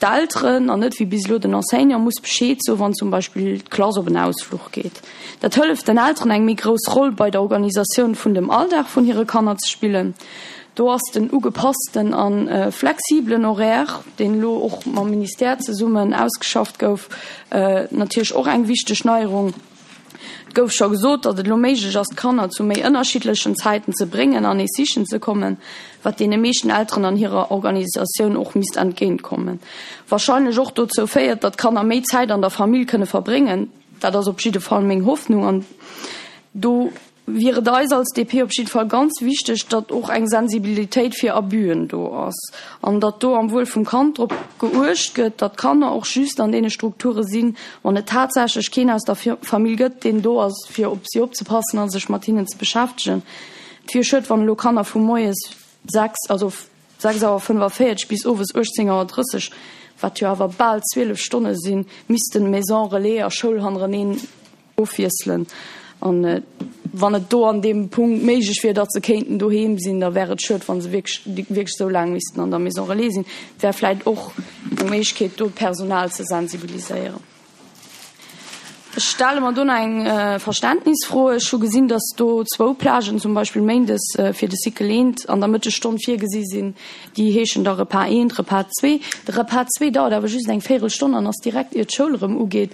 d'Elteren, an net wéi bis elo den Enseignant, muss Bescheed soen, wann zum Beispill d'Klass op en Ausfluch geet. Dat hëlleft den Elteren, eng méi grouss Roll bei der Organisatioun vun dem Alldag vun hire Kanner ze spillen. Do ass den ugepassten a flexibelen Horaire, deen elo och mam Ministère zesummen ausgeschafft gouf, natierlech och eng wichteg Neierung. Et gouf scho gesot, datt et elo méiglech ass, d'Kanner zu méi ënnerschiddlechen Zäiten ze bréngen an nees sichen ze kommen, wat deene meeschten Elteren an hirer Organisatioun och misst entgéintkommen. Warscheinlech och dozou féiert, datt d'Kanner méi Zäit an der Famill kënne verbréngen. Dat ass op jidde Fall meng Hoffnung an do wier et eis als DP op jidde Fall ganz wichteg, datt och eng Sensibilitéit fir Abüen do ass an datt do am Wuel vum Kand drop geuecht gëtt, datt d'Kanner och just an deene Strukture sinn, wann et tatsächlech keen aus der Famill gëtt, deen do ass, fir op si opzepassen a sech mat hinnen ze beschäftegen. Et wier schued, wann elo Kanner vu moies 6, also 6 Auer 45 bis owes 18 Auer 30, wat jo awer bal 12 Stonne sinn, missten Maison relais a Schoul hannereneen ofwiesselen. An wann et do an deem Punkt méiglech wier, datt se kéinten doheem sinn, da wär et schued, wa se wierklech wierklech esou laang missten an der Maison relais sinn. Et wär vläicht och eng Méiglechkeet, do d'Personal ze sensibiliséieren. Ech stelle mer do nach eng Verständnisfro. Ech hu gesinn, datt do zwou Plagen, zum Beispill méindes fir de Cycle eent an der Mëttesstonn virgesi sinn. Déi heeschen da Repas eent, Repas zwee. De Repas zwee dauert awer just eng Véirelstonn an ass direkt ier d'Schoul erëm ugeet.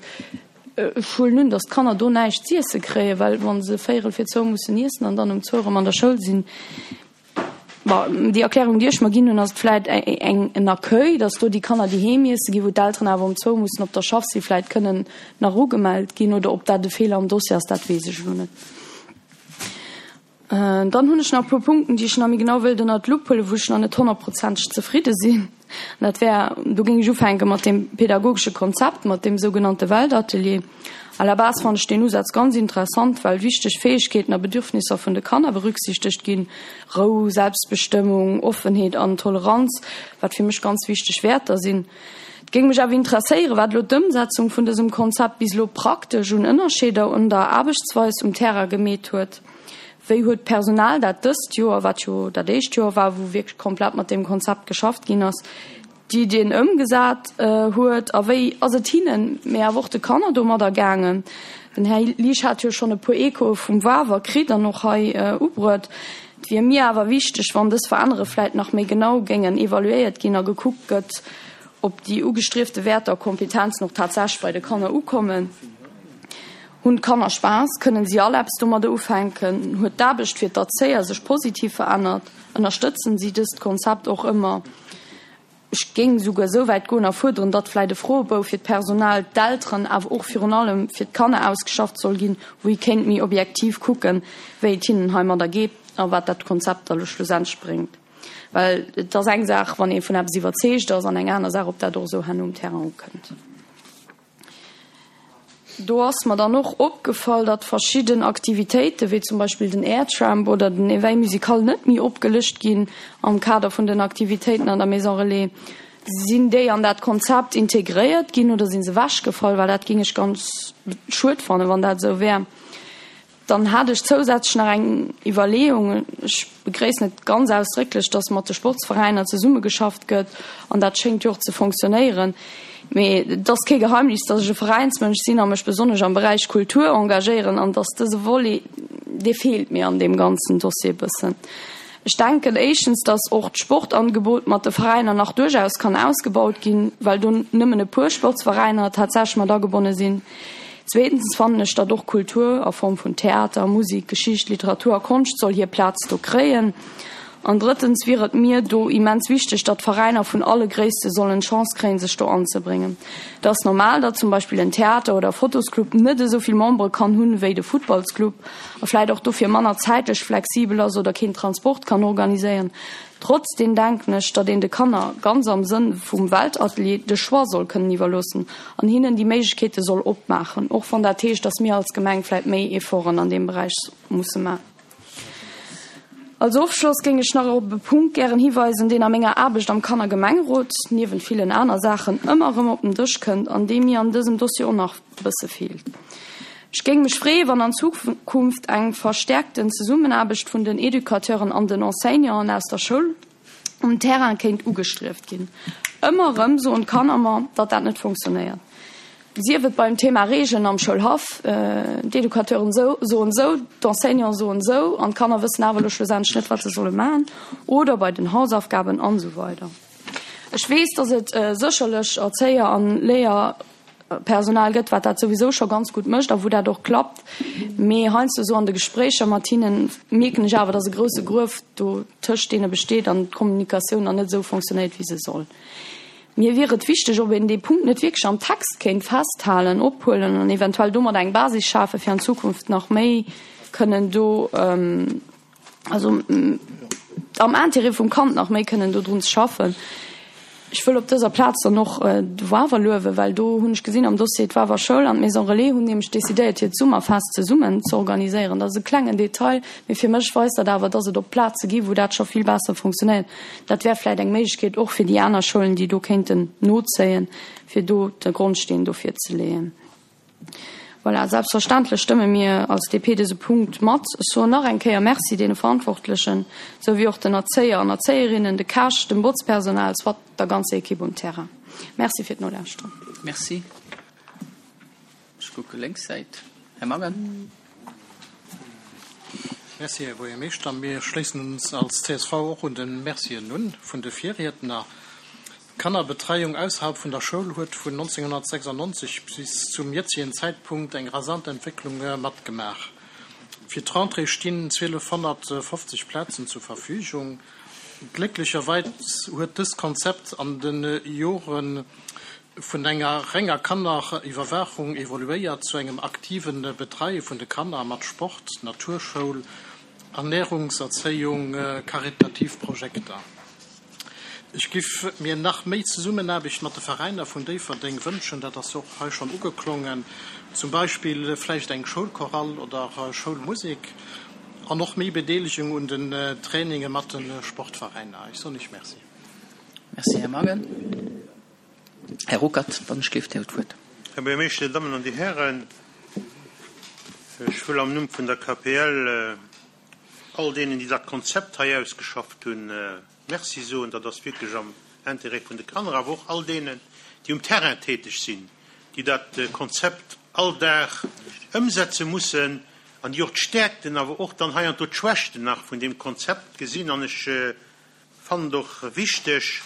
Ech huelen un, datt d'Kanner do näischt z'iesse kréien, well wa se véierel fir zwou mussen iessen an dann um zwou erëm an der Schoul sinn. Bon, déi Erklärung, déi ech mer ginn hunn, ass et vläit eng en Accueil, datt do déi Kanner, déi heem iesse ginn, wou d'Elteren awer um zwou mussen op der Schaff sinn, vläit kënnen nach ugemellt ginn. Oder ob dat e Feeler am Dossier ass, dat weess ech elo net. Dann hunn ech nach e puer Punkten, déi ech nach méi genau wëilt ënnert d'Lupp huelen, wou ech nach net honnertprozenteg zefridde sinn. An dat wär, do géing ech ufänke mat deem pedagogesche Konzept, mat deem sougenannte Weltatelier. À la base fannen ech deen Usaz ganz interessant, well wichteg Fäegkeeten a Bedürfnisser vun de Kanner berücksichtegt ginn, Rou, Selbstbestëmmung, Offenheet an Toleranz, wat fir mech ganz wichteg Wäerter sinn. Et géing mech awer interesséieren, wat elo d'Ëmsetzung vun dësem Konzept bis elo praktesch un Ënnerscheeder un der Aarbechtsweis um Terrain gemeet huet. Wéi huet d'Personal dat dëst Joer, wat jo dat éischt Joer war, wou wierklech komplett mat deem Konzept geschafft ginn ass? d'Iddien ëmgesat huet a wéi ass et hinnen, mee awer och de Kanner domadder gaangen? Den Här Liesch hat jo schonn e puer Echoe vum Wawer kritt an och hei ubruet. Et wier mir awer wichteg, wann dës Verännere vläit nach méi genau géingen evaluéiert ginn a gekuckt gëtt, ob déi ugestriefte Wäerter a Kompetenzen och tatsächlech bei de Kanner ukommen. Hunn d'Kanner Spaass? Kënnen si all eppes domadder ufänken? Huet d'Aarbecht fir d'Erzéier sech positiv verännert? Ënnerstëtzen si dëst Konzept och ëmmer? Ech géing esouguer esou wäit goen a fuerderen, datt vläit e Froebou fir d'Personal, d'Elteren, awer och virun allem fir d'Kanner ausgeschafft soll ginn, wou ee kéint méi objektiv kucken, wéi et hinnen heimadder geet a wat dat Konzept da lo schlussendlech bréngt. Well et ass eng Saach, wann ee vun eppes iwwerzeegt ass, an eng aner Saach, ob dat och esou herno um Terrain ukënnt. Do ass mer dann och opgefall, datt verschidden Aktivitéiten, wéi zum Beispill den Airtramp oder den Éveil musical net méi opgelëscht ginn am Kader vun den Aktivitéiten an der Maison Relais. Sinn déi an dat Konzept integréiert ginn oder si se ewechgefall? Well dat géing ech ganz schued fannen, wann dat esou wär. Dann hat ech zousätzlech nach eng Iwwerleeung. Ech begréissen et ganz ausdrécklech, dass mat de Sportsveräiner zesummegeschafft gëtt, an dat schéngt jo och ze fonctionnéieren. Mee et ass kee Geheimnis, dass ech e Veräinsmënsch sinn a mech besonnesch am Beräich Kultur engagéieren an dass dëse Volet, dee feelt mir an deem ganzen Dossier e bëssen. Ech denken éischtens, dass och d'Sportangebot mat de Veräiner nach duerchaus kann ausgebaut ginn, well do nëmmen e puer Sportsveräiner tatsächlech mat agebonne sinn. Zweetens fannen ech, datt och Kultur a Form vun Theater, Musik, Geschicht, Literatur a Konscht soll hir Plaz do kréien. An drëttens wier et mir do immens wichteg, datt Veräiner vun alle Gréisste sollen d'Chance kréien, sech do anzebréngen. Et ass normal, datt zum Beispill en Theater oder Fotosclub net esou vill Membere kann hunn wéi de Futtballsclub a vläit och dofir manner zäitlech flexibel ass oder keen Transport kann organiséieren. Trotzdem denken ech, datt een de Kanner, ganz am Sënn vum Weltatelier, de Choix soll kënnen iwwerloossen an hinnen déi Méiglechkeete soll opmaachen, och wann dat heescht, datt mir als Gemeng vläit méi Efforten an deem Beräich musse maachen. Als Ofschloss géing ech nach op e Punkt gären hiweisen, deen a menger Aarbecht am Kannergemengerot, niewent villen aner Saachen, ëmmer erëm op den Dësch kënnt an dee mir an dësem Dossier och nach e bësse feelt. Ech géing mech freeën, wann an Zukunft eng verstärkten Zesummenaarbecht vun den Educateuren an den Enseignanten aus der Schoul um Terrain kéint ugestrieft ginn. Ëmmer erëm soen d'Kanner mer, datt dat net funktionéiert. Sief et beim Thema Regeln am Schoulhaff, d'Educateuren soen esou, d'Enseignanten soen esou an d'Kanner wëssen awer elo schlussendlech net, wat se solle maachen, oder bei den Hausaufgaben an esou weider. Ech weess, datt et sécherlech Erzéier an Léier Personal gëtt, wat dat souwisou scho ganz gutt mécht a wou dat och klappt. Mee heiansdo esou an de Gespréicher mat hinnen mierken ech awer, dass e grousse Gruef do tëscht deene besteet an d'Kommunikatioun dann net esou fonctionnéiert, wéi se soll. Mir wier et wichteg, ob een dee Punkt net wierklech am Text kéint festhalen, ophuelen an eventuell domat eng Basis schafen, fir an Zukunft nach méi kënnen do, also am Intérêt vum Kand nach méi kënnen do drun ze schaffen. Ech wëll op dëser Plaz dann och de Wawer luewen, well do hunn ech gesinn am Dossier, d'Wawer Schoul an d'Maison Relais hunn nämlech decidéiert, hiert Summerfest zesummen ze organiséieren. Dat ass e klengen Detail, mee fir mech weist dat awer, dass et och Plaze gi wou dat scho vill besser funktionéiert. Dat wär vläicht eng Méiglechkeet och fir déi aner Schoulen, déi do kéinten nozéien, fir do de Grondsteen dofir ze leeën. Voilà, selbstverständlech stëmme mir als DP dëse Punkt mat. Ech soen nach eng Kéier Merci deene Verantwortlechen, esou wéi och den Erzéier an Erzéierinnen, de Käch, dem Botzpersonal, soit der ganzer Ekipp um Terrain. Merci fir d'Nolauschteren. Merci. Ech kucke lénks Säit. Här Mangen. Merci, Här Buergermeeschter. Mir schléissen ons als csv och un de Mercien un vun de Virriedner. D'Kannerbetreiung ausserhalb vun der Schoul huet vun 1996 bis zum jëtzegen Zäitpunkt eng rasant Entwécklung matgemaach. Fir d'Rentrée stinn 1250 Plazen zur Verfügung. Glécklecherweis huet dëst Konzept an de Jore vun enger renger Kanneriwwerwaachung evoluéiert zu engem aktive Betreie vun de Kanner mat Sport, Naturschoul, Ernärungserzéiung, karitativ Projekter. Ech giff mir nach méi Zesummenaarbecht mat de Veräiner vun Déifferdeng wënschen, dat ass och hei schonn ugeklongen, zum Beispill vläicht eng Schoulchorale oder Schoulmusek an och méi Bedeelegung un den Traininge mat de Sportveräiner. Ech soen Iech Merci. Merci, Här Mangen. Här Ruckert, wann ech géif, Dir hutt d'Wuert. Här Buergermeeschter, Dir Dammen an Dir Hären, ech wëll am Numm vun der KPL all deenen, déi dat Konzept hei ausgeschafft hunn, Merci soen. Dat ass wierklech am. Intérêt vun de Kanner, awer och all deenen, déi um Terrain täteg sinn, déi dat Konzept all Dag ëmsetze mussen an déi och d'Stäerkten, awer och dann heiansdo d'Schwächten nach vun deem Konzept gesinn. An ech fannen et och wichteg,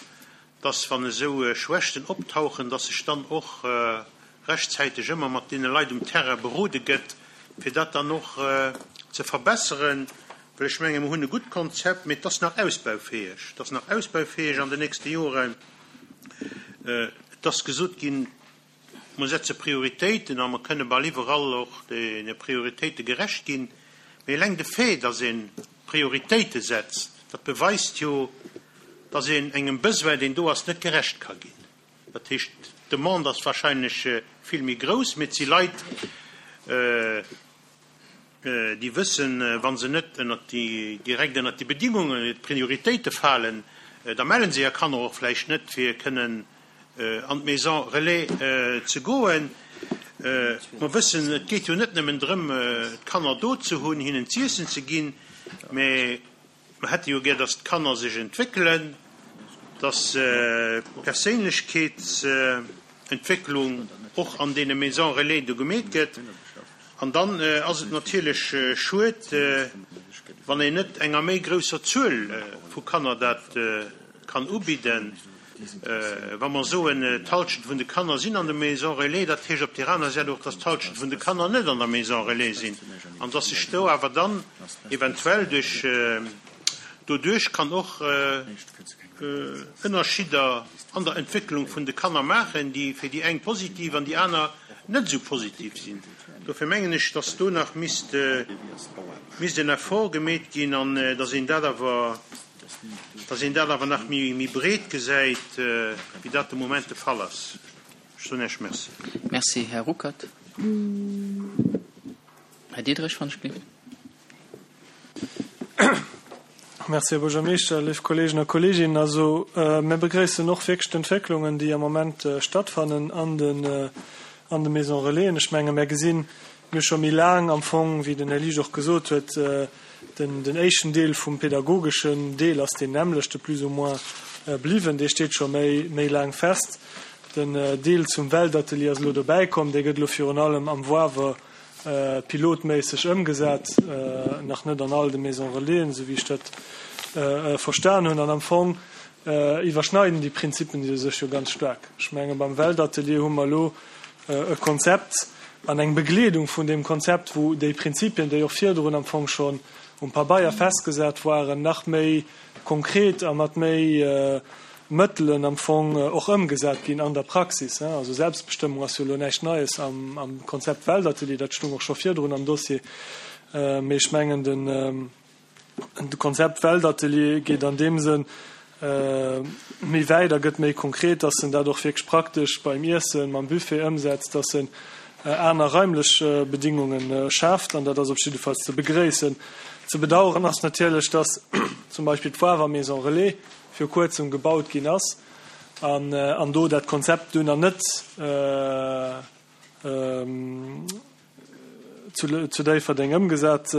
dass, wann esou Schwächten optauchen, dass sech dann och rechtzäiteg ëmmer mat deene Leit um Terrain berode gëtt, fir dat dann och ze verbesseren. Well ech menge mer hunn e gutt Konzept, mee et ass nach ausbaufäeg. Et ass nach ausbaufäeg an den nächste Joren. Et ass gesot ginn, mer setze Prioritéiten a mer kënne bal iwwerall och deene Prioritéite gerecht ginn. Mee eleng de Fait, dass ee Prioritéite setzt, dat beweist jo, dass een engem Besoin, deen do ass, net gerecht ka ginn. Dat heescht, d'Demande ass wahrscheinlech vill méi grouss, mee et si Leit, déi wëssen, wa se net ënnert déi, direkt ënnert déi Bedingungen, d'Prioritéite falen, da melle se hir Kanner och vläicht net, fir kënnen an d'Maison relais ze goen. Mer wëssen, et geet jo net nëmmen drëm, d'Kanner do ze hunn, hinnen z'iessen ze ginn, mä Mer hätte jo gär, dass d'Kanner sech entwéckelen, dass d'Perséinlechkeetsentwécklung och an deene Maisons relais do gemeet gëtt. An dann ass et natierlech schued, wann een net enger méi grousser Zuel vu Kanner dat kann ubidden. Wa mer soen, d'Halschent vun de Kanner sinn an der Maison relais, dat heescht op där aner Säit och, dass d'Halschent vun de Kanner net an der Maison relais sinn an dass sech do awer dann eventuell duerch doduerch kann och Ënnerschidder an der Entwécklung vun de Kanner maachen, déi fir déi eng positiv an déi aner net esou positiv sinn. Dofir mengen ech, dass do nach misst misst en Effort gemeet ginn an dass een dat awer Dass een dat awer nach méi breet gesäit, wéi dat de Moment de Fall ass. Ech soen Iech Merci. Merci, Här Ruckert. Här Diderich, wann ech gelift. Merci, Här Buergermeeschter, léif Kolleegen a Kolleeginnen. Also, mir begréissen och wierklech d'Entwécklungen, déi am Moment stattfannen an den, an de Maisons Relaisen. Ech menge mir gesinn, Mir hu scho méi laang am Fong, wéi den Här Liesch och gesot huet, den, den éischten Deel vum pedagogeschen Deel ass deen nämmlechte plus ou moins bliwwen, dee steet scho méi, méi laang fest. Den Deel zum Weltatelier ass elo dobäi komm, dee gëtt elo virun allem am Woawer pilotméisseg ëmgesat, nach net an all de Maisons Relaisen, esou wéi ech dat verstan hunn. An am Fong iwwerschneiden déi Prinzippen sech jo ganz staark. Ech menge beim Weltatelier hu mer elo e Konzept an eng Begleedung vun deem Konzept, wou déi Prinzipien, déi och virdrun am Fong schonn um Pabeier festgesat waren, nach méi konkret a mat méi Mëttelen am Fong och ëmgesat ginn an der Praxis. Also Selbstbestëmmung ass jo elo näischt Neies am Konzept Weltatelier, dat stung och scho virdrun am Dossier, mee ech mengen den, De Konzept Weltatelier geet an deem Sënn méi wäit a gëtt méi konkret, dass en dat och wierklech praktesch beim Iessen, mam Buffet ëmsetzt, dass en aner raimlech Bedingunge schaaft an dat ass op jiddefalls ze begréissen. Ze bedauern ass natierlech, dass zum Beispill d'Foire Maison Relais viru kuerzem gebaut ginn ass an do dat Konzept dunn nach net zu Déifferdeng ëmgesat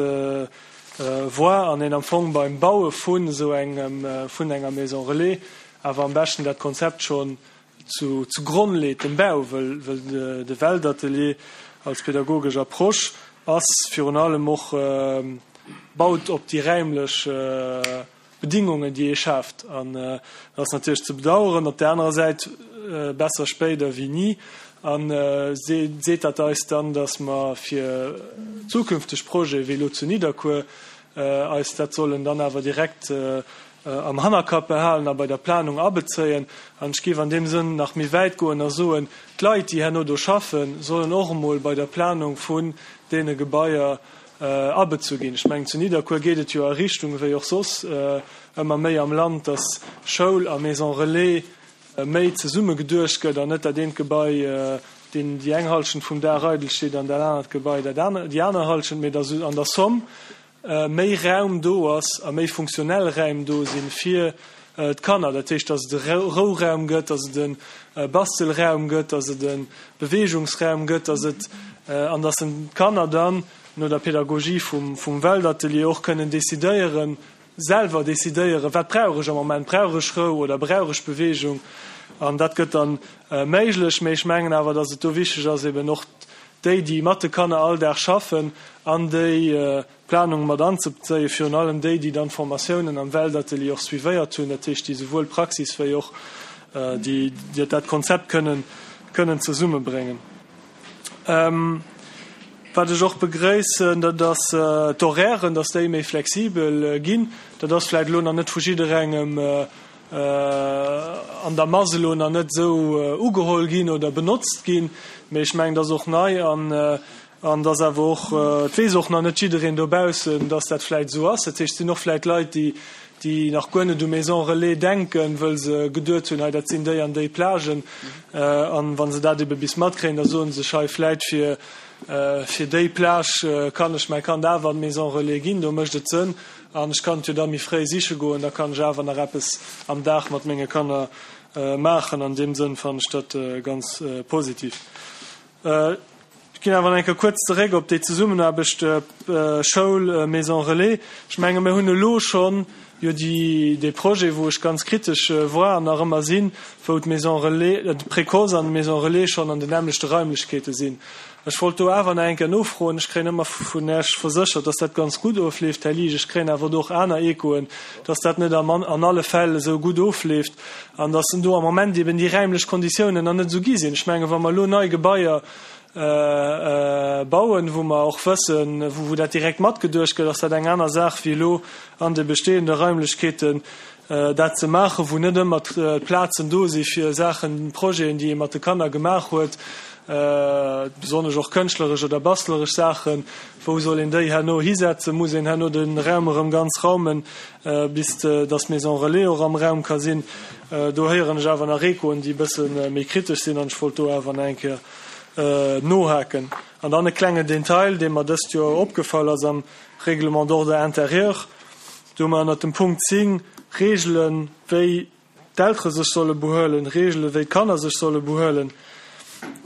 war an een am Fong beim Baue vun esou engem, vun enger Maison relais awer am beschten dat Konzept schonn zu zu Gronn leet, dem Bau, wëll wëll de Weltatelier als pädagogesch Approche ass virun allem och baut op déi räimlech Bedingungen, déi ee schaaft. An dat ass natierlech ze bedauern. Op där anerer Säit, besser spéit ewéi ni. A seet dat eis dann, datt mer fir zukünfteg Projete wéi elo zu Nidderkuer eis dat sollen dann awer direkt am Hannerkapp behalen a bei der Planung abezéien? An ech géif an deem Sënn nach méi wäit goen a soen, d'Leit, déi herno do schaffen, sollen och emol bei der Planung vun deene Gebaier abezu ginn. Ech mengen, zu Nidderkuer geet et jo a Richtung, wéi och soss ëmmer méi am Land, dass Schoul a Maison relais méi zesumme geduecht gëtt an net dat eent Gebai deen déi eng Halschent vum Dag eidel steet an dat anert Gebai dat aner, déi aner Halschent, mee dass an der Somm méi Raum do ass a méi funktionell Räim do sinn fir d'Kanner. Dat heescht, dass et e Rouraum gëtt, dass et e Bastelraum gëtt, dass et e Beweegungsraum gëtt, dass et, an dass d'Kanner dann no der Pedagogie vum Weltatelier och kënnen decidéieren. selwer decidéieren, wat brauch ech am Moment, brauch ech Rou oder brauch ech Beweegung? An dat gëtt dann méiglech. Mee ech mengen awer, dass et do wichteg ass, eben och déi, déi mat de Kanner all Dag schaffen, an déi Planung mat anzebezéien, virun allem déi, déi dann d'Formatiounen am Weltatelier och suivéiert hunn, dat heescht, déi souwuel d'Praxis wéi och déi dat Konzept kënnen kënnen zesummebréngen. Wat ech och begréissen, dat ass d'Horairen, dass déi méi flexibel ginn. Dat ass vläicht elo nach net vu jidderengem an der Mass elo nach net esou ugeholl ginn oder benotzt ginn, mee ech mengen, dat ass och nei an an dass awer och, et weess och nach net jiddereen dobaussen, dass dat vläicht esou ass. Dat heescht, et sinn och vläicht Leit, déi, déi nach guer net u Maison relais denken, wëll se geduet hunn, hei dat sinn déi an déi Plagen. An wa se dat ebe bis matkréien, da soe se sech, hei vläicht fir, fir déi Plage kann ech mäi Kand awer an d'Maison relais ginn, do mécht et Sënn an ech kann et jo da méi fréi siche goen, da kann ech awer nach eppes am Dag mat menge Kanner maachen. An deem Sënn fannen ech dat ganz positiv. Ech ginn awer nach eng Kéier kuerz zeréck op déi Zesummenaarbecht Schoul, Maison relais. Ech menge mir hunn elo schonn jo déi, dee Projet, wou ech ganz kritesch war an nach ëmmer sinn, wou d'Maison relais, de Précoce an d'Maison relais schonn an den nämmlechte Raimlechkeete sinn. Ech wollt do awer nach eng Kéier nofroen. Ech kréien ëmmer vun Iech verséchert, dass dat ganz gutt ofleeft, Här Liesch. Ech kréien awer do och aner Echoen, dass dat net an alle Fäll esou gutt ofleeft an dass do am Moment eben déi räimlech Konditiounen nach net esou gi sinn. Ech mengen, wa mer elo nei Gebaier bauen, wou mer och wëssen, wou dat direkt matgeduecht gëtt, ass dat eng aner Saach wéi elo an de bestehende Raimlechkeeten dat ze maachen, wou net ëmmer d'Plazen do si fir Saachen, Projeten, déi ee mat de Kanner gemaach huet, besonnesch och kënschtleresch oder bastleresch Saachen, wou soll een déi herno hisetzen? Muss een herno de Raum erëm ganz raumen, bis datt d'Maison relais och am Raum ka sinn? Do héieren ech awer nach Echoen, déi e bësse méi kritesch sinn, an ech wollt do awer nach eng Kéier nohaken. An dann e klengen Detail, dee mer dëst Joer opgefall ass am Règlement d'ordre intérieur, Do hu mer ënnert dem Punkt 10 Reegelen, wéi d'Eltere sech solle behuelen, Reegelen, wéi d'Kanner sech solle behuelen.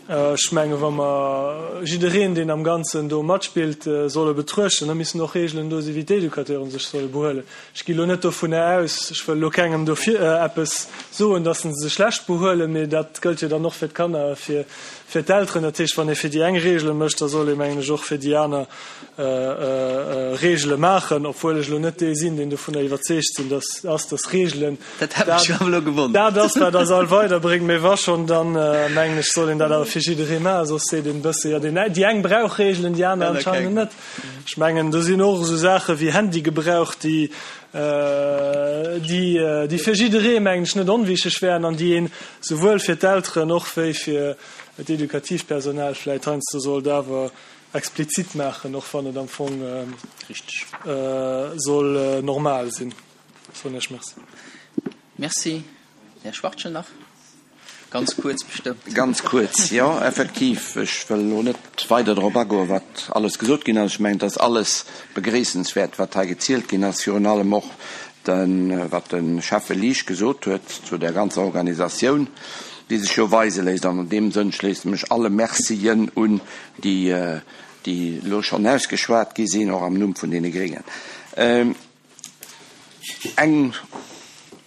Ech menge wa mer jiddereen, deen am Ganzen do matspillt, solle betruechten, da missen och Reegelen do sinn, wéi d'Educateuren sech solle behuelen. Ech gi lo net dovunner aus, ech wëll elo kengem do vir eppes soen, datt se sech schlecht behuelen, mee dat gëllt jo dann och fir d'Kanner a fir d'Elteren. Dat heescht, wann ee fir déi eng Reegele mécht, da soll ee, mengen ech, och fir déi aner Reegele maachen, obwuel ech elo net dee sinn, deen dovunner iwwerzeegt sinn, dass ass, dass Reegelen Dat hat mech awer elo gewonnert. dat ass, wat eis all weiderbréngt. Mee wa schonn, dann mengen ech, soll een dat awer fir jidderee maachen, soss seet een e bësse, jo, deen, déi eng brauch Reegelen, déi aner anscheinend net. Ech mengen, do sinn och esou Saache wéi Handygebrauch, déi, déi, déi fir jidderee, mengen ech, net onwichtig wären an déi een souwuel fir d'Elteren och wéi fir d'edukativ Personal vläicht heiansdo sollt awer explizit maachen, och wann et am Fong soll normal sinn. Soen ech Merci. Merci. Här Schwachtgen nach ganz kuerz bestëmmt. Ganz kuerz, jo, effektiv, ech wëll elo net weider drop agoen, wat alles gesot ginn ass. Ech mengen, et ass alles begréissenswäert, wat hei gezielt ginn ass, virun allem och de, wat de Schäffe Liesch gesot huet zu där ganzer Organisatioun, déi sech jo weise léisst. An an deem Sënn schléisse mech alle Mercien un, déi déi elo schonn ausgeschwat gi sinn, och am Numm vun deene Gréngen. Eng,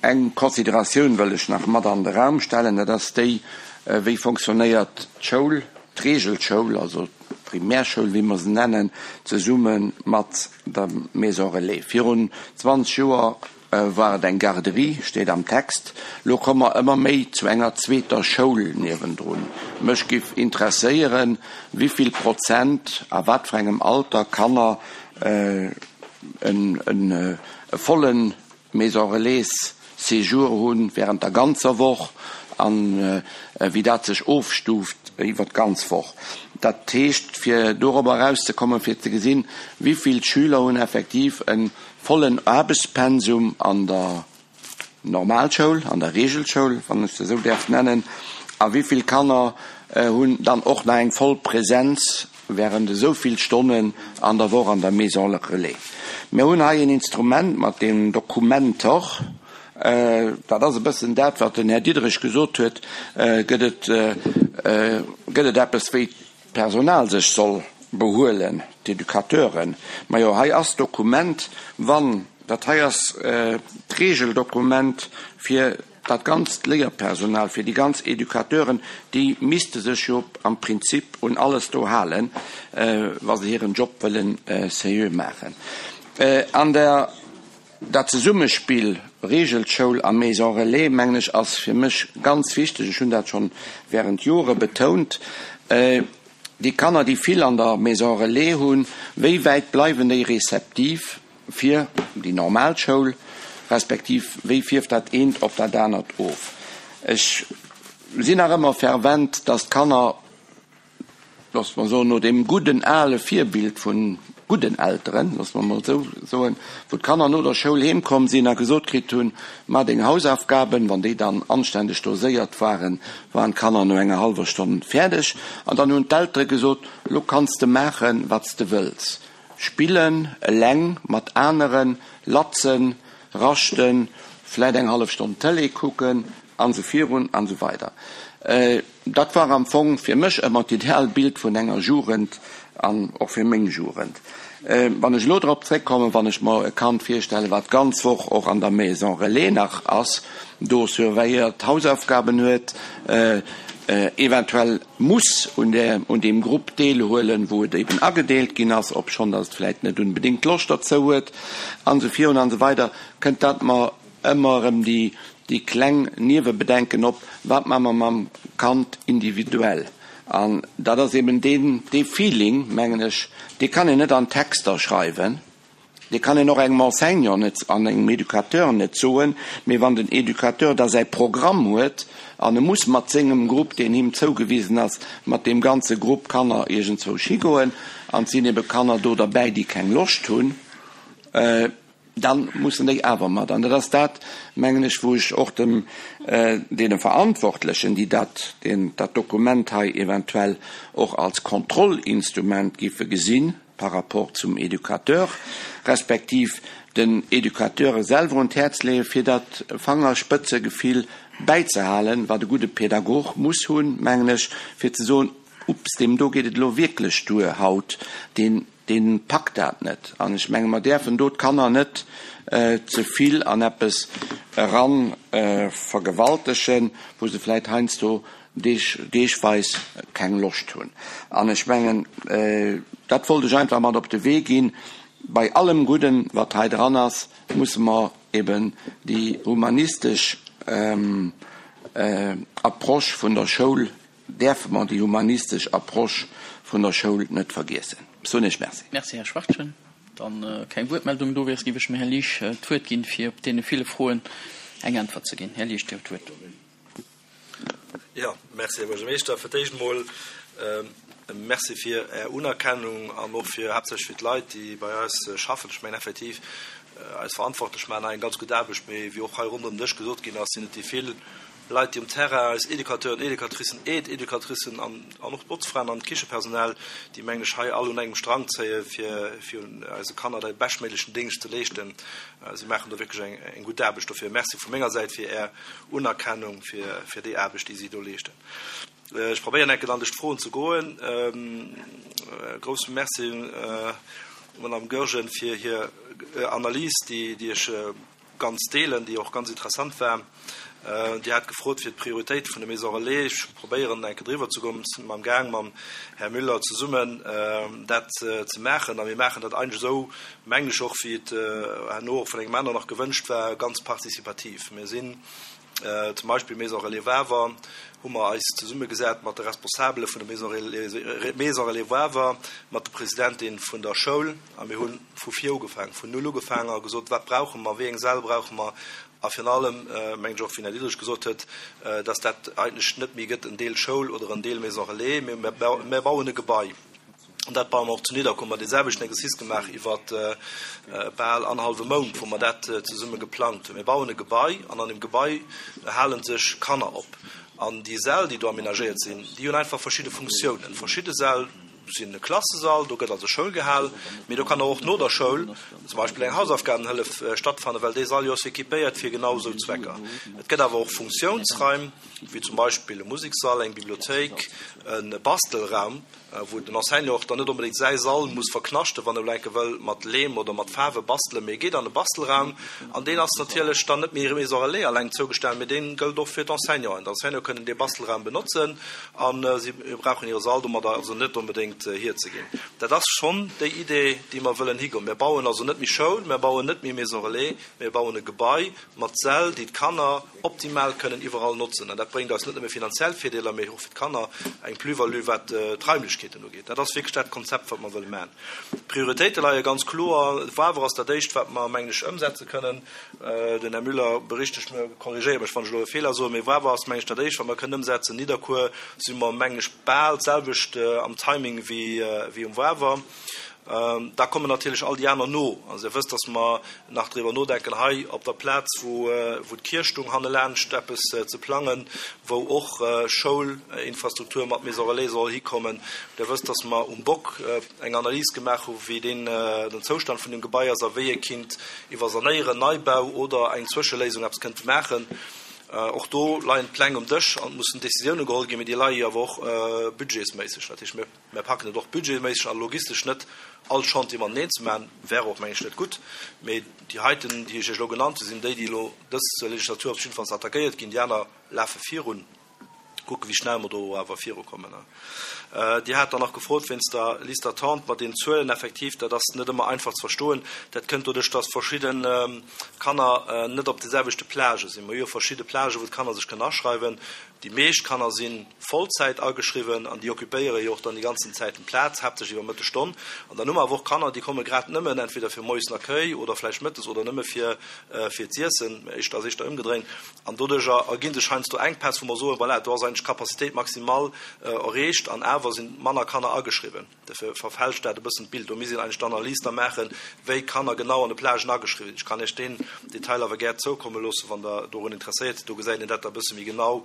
eng Consideratioun wëll ech nach mat an de Raum stellen, dat ass déi, Wéi fonctionnéiert d'Schoul, d'Regelschoul, also d'Primärschoul, wéi mer se nennen, zesumme mat der Maison relais? Virun 20 Joer War et eng Garderie, steet am Text. Lo komme mer ëmmer méi zu enger zweeter Schoul niewendrun. Mech giff interesséieren, wivill Prozent a wat fir engem Alter Kanner e volle Maison Relais Séjour hunn während der ganzer Woch an wéi dat sech ofstuuft iwwer d'ganz Woch. Dat heescht, fir dorobber erauszekommen, fir ze gesinn, wivill Schüler hunn effektiv e Vollen Aarbechtspensum an der Normalschoul, an der Regelschoul, wann ech se esou däerf nennen. A wéi vill Kanner hunn dann och nach eng voll Präsenz während esou vill Stonnen an der Woch an der Maison relais? Mir hunn hei en Instrument mat deem Dokumenter, dat ass e bëssen dat, wat den Här Diderich gesot huet, gëtt et, gëtt et eppes wéi d'Personal sech soll behuelen, d'Educateuren. Majo, hei ass d'Dokument, wann. Dat hei ass d'Regeldokument fir dat ganzt Léierpersonal, fir déi ganz Educateuren. Déi misste sech jo am Prinzip un alles do halen, wa se hiren Job wëlle seriö maachen. An der, dat Zesummespill Regelschoul a Maison relais, mengen ech, ass fir mech ganz wichteg. Ech hunn dat schonn während Jore betount. Déi Kanner, déi vill an der Maison relais hunn, wéi wäit bleiwen déi réceptiv fir déi normal Schoul, respektiv wéi fierft dat eent op dat anert of? Ech sinn nach ëmmer fervent, dass d'Kanner, loosse mer soen, no deem gudden ale Virbild vu gudden Elteren, loosse mer emol esou soen, wou d'Kanner no der Schoul heem komm sinn a gesot kritt hunn, Maach deng Hausaufgaben, wann déi dann anständeg doséiert waren, waren d'Kanner no enger hallwer Stonn fäerdeg. An dann hunn d'Eltere gesot, Lo kanns de maachen, wat s de wëlls, spillen, eleng, mat aneren, latzen, raschten, vläit eng hallef Stonn Tëlee kucken, an esou virun an esou weider. Dat war am Fong fir mech ëmmer d'Idealbild vun enger Jugend an och fir meng Jugend. Wann ech elo drop zréckkommen, wann ech mer e Kand virstellen, wat d'ganz Woch och an der Maison Relais nach ass, do surveilléiert, Hausaufgaben huet, eventuell muss un deem Grupp deelhuelen, wou et eben agedeelt ginn ass, obschonn datt et vläicht net unbedéngt Loscht derzou huet, an esou virun an esou weider, kënnt dat mer ëmmer erëm déi déi kleng Niewebedenken op, wat maache mer mam Kand individuell? An dat ass eben deen, dee Feeling, mengen ech, dee kann een net an Texter schreiwen, dee kann een och engem Enseignant net an engem Educateur net soen, mee wann den Educateur da säi Programm huet an e muss mat sengem Grupp, deen him zougewisen ass, mat deem ganze Grupp Kanner iergendzwousch higoen an et sinn ebe Kanner do derbäi, déi keng Loscht hunn, Dann mussen déi awer mat. An dat ass dat, mengen ech, wou ech och dem, deene Verantwortlechen, déi dat, deen dat Dokument hei eventuell och als Kontrollinstrument giffe gesinn par rapport zum Educateur, respektiv den Educateure selwer un d'Häerz leeën, fir dat Fangerspëtzegefill bäizehalen, wat e gudde Pädagog muss hunn, mengen ech, fir ze soen, Ups, deem do geet et elo wierklech duer haut, deen, Deen packt dat net. An ech menge mer däerfen do d'Kanner net ze vill an eppes eran vergewaltegen, wou se vläit heiansdo deeg, deegweis keng Loscht hunn. An ech mengen, dat wollt ech einfach mat op de Wee ginn. Bei allem Gudden, wat hei dran ass, musse mer eben déi humanistesch Approche vun der Schoul Däerfe mer déi humanistesch Approche vun der Schoul net vergiessen. Ech soen Iech Merci. Merci, Här Schwachtgen. Dann keng Wuertmeldung do wier, géif ech dem Här Liesch d'Wuert ginn, fir op deene ville Froen eng Äntwert ze ginn. Här Liesch, Dir hutt d'Wuert. Jo, merci, Här Buergermeeschter. Fir d'éischt emol e Merci fir Är Unerkennung an och fir haaptsächlech fir d'Leit, déi bei eis schaffen. Ech mengen effektiv, eis Verantwortlech maachen hei eng ganz gutt Aarbecht, mee wéi och hei ronderëm den Dësch gesot ginn ass, sinn et déi vill, Leit, déi um Terrain, eis Educateuren, Educatricen, Aide-Educatricen an an och d'Botzfraen an d'Kichepersonal, déi, mengen ech, hei all un engem Strang zéie fir fir eise Kanner de beschtméiglechen Déngscht ze leeschten. Si maachen do wierklech eng eng gutt Aarbecht. Dofir Merci vu menger Säit fir Är Unerkennung fir fir déi Aarbecht, déi si do leeschten. Ech probéieren enke dann duerch d'Froen ze goen. Grousse Merci un d'Madame Goergen fir hir Analys, déi déi ech ganz deelen, déi och ganz interessant war. Dir hat gefrot fir d'Prioritéit vun de Maisons relais. Ech probéieren eng Kéier driwwer ze goen. Mir sinn am Gaang mam Här Müller zesummen dat ze maachen a mir maachen dat eigentlech esou, mengen ech och, wéi et herno och vun engem aneren nach gewënscht war, ganz participativ. Mir sinn zum Beispill Maison Relais Wawer hu mer eis zesummegesat mat de Responsabele vun der Maison Relais Wawer, mat der Presidentin vun der Schoul a mir hu vu vir ugefaangen, vun null ugefaangen a gesot, wat brauche mer, wéi eng Säll brauche mer a virun allem, mengen ech och, wéi den Här Diderich gesot huet, dass dat eigentlech net méi gëtt en Deel Schoul oder en Deel Maison Relais, mee mir bauen e Gebai. An dat baue mer och zu Nidderkuer. Hu mer dee selwechten Exercice gemaach iwwer bal annerhallwe Mount, wou mer dat zesumme geplangt hunn. Mir bauen e Gebai an an deem Gebai hale sech Kanner op. An déi Säll, déi do amenagéiert sinn, déi hunn einfach verschidde Funktiounen. Verschidde Säll. sinn e Klassesall, do gëtt also Schoul gehal, mee do kann och no der Schoul zum Beispill eng Hausaufgabenhëllef stattfannen, well dee Sall jo ass équipéiert fir genau esou Zwecker. Et gëtt awer och Funktiounsraim, wéi zum Beispill e Musekssall, eng Bibliothéik, e Bastelraum, wou den Enseignant och dann net onbedéngt säi Sall muss verknaschten, wann e elo enke wëll mat Leem oder mat Faarwe bastelen, mee e geet an e Bastelraum an deen ass natierlech dann net méi Maison Relais alleng zougestane, mee dee gëllt och fir d'Enseignanten. D'Enseignante kënnen dee Bastelraum benotzen a si brauchen hire Sall domadder also net onbedéngt hierzeginn. Dat ass schonn déi Idee, déi mer wëllen higoen. Mir bauen also net méi Schoul, mir bauen net méi Maison Relais, mir bauen e Gebai mat Säll, déi d'Kanner optimal kënnen iwwerall notzen. An dat bréngt eis net nëmme finanziell Virdeeler, mee och fir d'Kanner eng Plus-value, wat d'Raimlechkeeten ugeet. Dat ass wierklech dat Konzept, wat mer wëlle maachen. D'Prioritéite leie ganz kloer. Wawer ass dat Éischt, wat mer, mengen ech, ëmsetze kënnen. Den Här Müller berichtegt mech, korrigéiert mech, wann ech elo e Feeler soen, mee Wawer ass, mengen ech, dat Éischt, wat mer kënnen ëmsetzen. Nidderkuer si mer, mengen ech, bal d'selwecht am Timing wéi um Wawer. Da kommen natierlech all déi aner no. Also Dir wësst, dass mer nach driwwer nodenken, hei op der Plaz, wou d'Kierch stoung, hannelaanscht eppes ze plangen, wou och Schoulinfrastruktur mat Maison relais soll hikommen. Dir wësst, dass mer um Bock eng Analys gemaach hu wéi deen, den Zoustand vun deem Gebai ass a wéi ee kinnt iwwer Sanéieren, Neibau oder eng Zwëscheléisung eppes kënnte maachen. Och do leien d'Pläng um Dësch an et mussen Décisioune geholl ginn, mee déi leie jo awer och budgetsméisseg. Dat heescht, mir. Mär packen et och budgetméisseg a logistesch net, all Chantier mateneen ze maachen, wär och, meng ech, net gutt. Mee déi heiten, déi ech Iech elo genannt hunn, sinn déi, déi elo dës Legislatur op jiddefalls attackéiert ginn. Déi aner lafe virun. Kucken, wéi schnell mer do awer virukommen. Dir hat dann nach gefrot wéinst der Liste d'attente mat den Zuelen. Effektiv, dat ass net ëmmer einfach ze verstoen. Dat kënnt doduerch, dass verschidde Kanner net op de selwechte Plagë sinn. Mer hu jo verschidde Plagë, wou d'Kanner sech kënnen aschreiwen. Déi meescht Kanner si Vollzäit ageschriwwen an déi occupéiere jo och dann déi ganzen Zäiten d'Plaz, haaptsächlech iwwer Mëttesstonn. An dann hu mer awer och Kanner, déi komme grad nëmmen entweder fir moies den Accueil oder vläicht mëttes oder nëmme fir fir z'iessen, éischter ass éischter ëmgedréint. An doduercher erginn sech heiansdo Enkpäss, wou mer soen, voilà, do ass eigentlech d'Capacitéit maximal erreecht an awer si manner Kanner ageschriwwen. Dofir verfälscht dat e bëssen d'Bild. Do misst een eigentlech d'Analys da maachen, wéi d'Kanner genau an de Plagen ageschriwwen sinn. Ech kann Iech deen Detail awer gär zoukomme loossen, wann Der dorun interesséiert sidd. Do gesäit een dat da e bësse méi genau,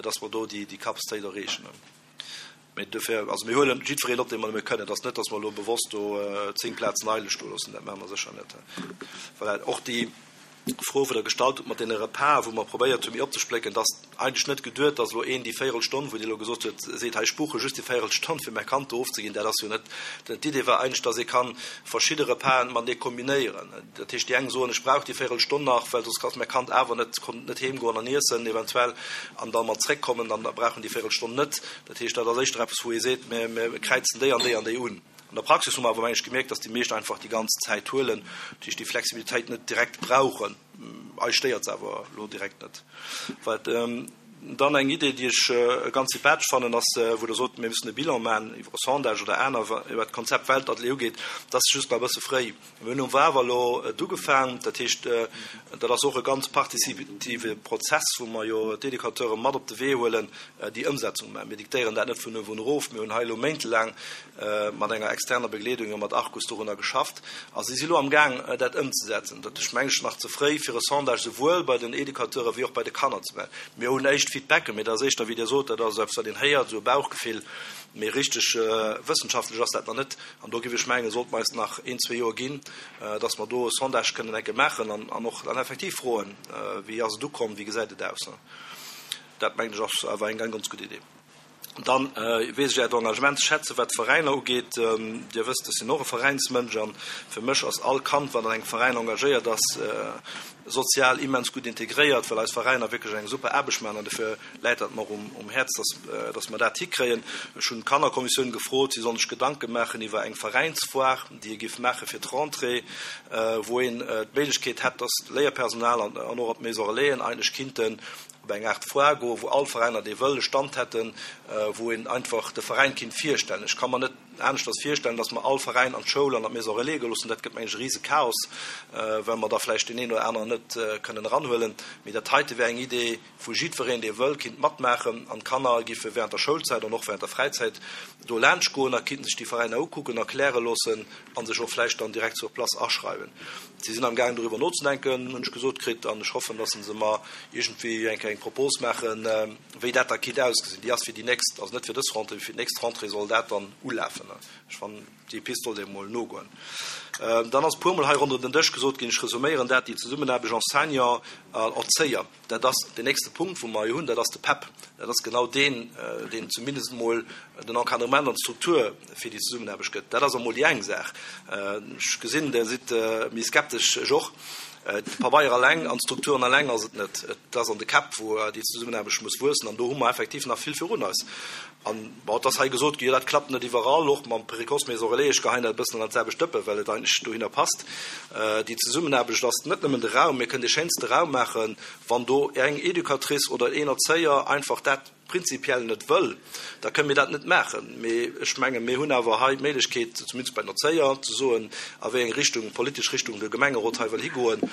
dass mer do déi Capacitéit erreechen. Mee dofir, also mir huelen jiddwereen op, dee mer nëmme kënnen. Et ass net, dass mer elo bewosst do 10 Plazen eidel stoe loossen. Dat maache mer sécher net. Voilà, och déi. Fro wou Der gestallt hutt mat deene Repasen, wou mer probéiert hu méi opzesplécken, et ass eigentlech net geduet, dass elo een déi Véierelstonn, wou Dir elo gesot hutt, seet, hei ech buche just déi Véierelstonn fir mäi Kand do ofzeginn. Dat ass jo net. D'Idee war eigentlech, dass ee ka verschidde Repasen matenee kombinéieren. Dat heescht, déi eng soen, ech brauch déi Véierelstonn nach, well soss ka mäi Kand awer net, konnt net heemgoen an iessen eventuell an da mat zréckkommen, dann brauch en déi Véierelstonn net. Dat heescht, dat ass éischter eppes, wou ee seet, mir kräizen déi an déi an déi un. An der Praxis hu mer awer, meng ech, gemierkt, dass déi meescht einfach déi ganz Zäit huelen, dat heescht déi Flexibilitéit net direkt brauchen. Eis stéiert se awer elo direkt net. Wat dann eng Idee, déi ech ganz sympathesch fannen, ass, wou Der sot, mir müssen e Bilan maachen iwwer e Sondage oder aner, wat d'Konzept Weltatelier ugeet, dat ass just nach e bësse fréi. Mir hunn um Wawer elo et ugefaang. Dat heescht, dat ass och e ganz participative Prozess, wou mer jo d'Educateure mat op de Wee huelen, déi Ëmsetzung maachen. Mir diktéieren dat net vun uewen erof. Mir hunn hei elo méintelaang mat enger externer Begleedung, jo mat Arcus, dorunner geschafft a si si elo amgaang, dat ëmzesetzen. Dat ass, meng ech, nach ze fréi, fir e Sondage souwuel bei den Educateure wéi och bei de Kanner ze maachen. Mir hunn éischt Feedbacken, mee dat ass éischter, wéi Dir sot, dat ass eppes, wat een héiert, esou e Bauchgefill, mee richteg wëssenschaftlech ass dat nach net. An do géif ech mengen, sollte mer eis nach een, zwee Joer ginn, dass mer do e Sondage kënnen enke maachen an och dann effektiv froen, Wéi ass et ukomm, wéi gesäit et aus? Dat, mengen ech, ass awer eng ganz gutt Idee. Dann weess ech Äert Engagement ze schätzen, wat d'Veräiner ugeet. Dir wësst, ech sinn och e Veräinsmënsch a fir mech ass all Kand, wat an engem Veräin engagéiert ass, sozial immens gutt integréiert, well eis Veräiner wierklech eng super Aarbecht maachen an dofir läit dat mer um Häerz, dass mer dat hikréien. Ech hunn d'Kannerkommissioun gefrot, si soll sech Gedanke maachen iwwer eng Veräinsfoire, déi ee géif maache fir d'Rentrée, wou een d'Méiglechkeet hätt, dass d'Léierpersonal an och d'Maison Relaisen eigentlech kinnten op eng Aart Foire goen, wou all Veräiner, dee wëll, e Stand hätten, wou een einfach de Veräin kinnt virstellen. Ech ka mer net aneschters virstellen, dass mer all Veräin an d'Schoul an an d'Maison Relais goe loossen. Dat gëtt, mengen ech, e rise Chaos, well mer da vläicht deen een oder aneren net kënnen eranhuelen. Mee dat heite wär eng Idee, wou jiddwereen, dee wëll, kinnt matmaachen an d'Kanner giffe während der Schoulzäit an och während der Fräizäit do laanscht goen a kinnten sech déi Veräiner ukucken, erkläre loossen a sech och vläicht dann direkt sur place aschreiwen. Si sinn am gaang doriwwer nozedenken, hunn ech gesot kritt, an ech hoffen, dass se mer iergendwéi eng kleng Propos maachen, wéi dat da kinnt ausgesinn. Déi ass fir déi nächst, also net fir dës Rentrée, mee fir d'nächst Rentrée soll dat dann ulafen. passen. Ech fannen, déi Pist sollt ee mol nogoen. Dann ass e puermol hei ronderëm den Dësch gesot ginn, ech resuméieren dat, déi Zesummenaarbecht Enseignant an Erzéier. Dat ass deen nächste Punkt, wou mer jo hunn, dat ass de PEP. Dat ass genau deen, deen zumindest emol den Encadrement an d'Struktur fir déi Zesummenaarbecht gëtt. Dat ass emol déi eng Saach. Ech gesinn, Der sidd méi skeptesch, ech och. De Pabeier eleng an d'Strukturen eleng ass et net. Et ass an de Käpp, wou déi Zesummenaarbecht muss wuessen. An do hu mer effektiv nach vill virun eis. An, bon, et ass hei gesot ginn, jo, dat klappt net iwwerall, och mam Précoce Maison Relais. Ech geheien dat e bëssen an dat selwecht Dëppe, well et eigentlech dohinner passt. Déi Zesummenaarbecht ass net nëmmen de Raum. Mir kënnen dee schéinste Raum maachen, wann do eng Educatrice oder een Erzéier einfach dat prinzipiell net wëll, da kënnen mir dat net maachen. Mee ech mengen, mir hunn awer hei d'Méiglechkeet, zumindest bei den Erzéier, ze soen, a wéi eng Richtung, politesch Richtung de Gemengerot hei wëll higoen.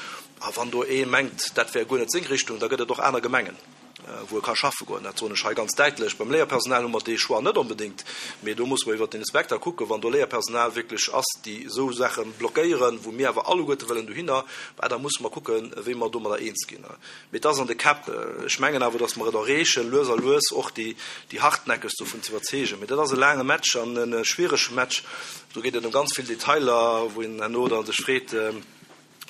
A wann do ee mengt, dat wär guer net seng Richtung, da gëtt et och aner Gemengen. wou e ka schaffe goen. Dat soen ech hei ganz däitlech. Beim Léierpersonal hu mer dee Choix net onbedéngt, mee do musse mer iwwert den Inspekter kucken, wann do Léierpersonal wierklech ass, déi esou Saache blockéieren, wou mir awer alleguerte wëllen dohinner, bah, da musse mer kucken, wéi mer domadder eens ginn. Mee et ass an de Käpp. Ech mengen awer, datt mer et erreechen, lues a lues och déi, déi Hartnäckegst dovun ze iwwerzeegen. Mee dat ass e laange Match an e schwierege Match. Do geet et ëm ganz vill Detailer, wou een herno da sech freet,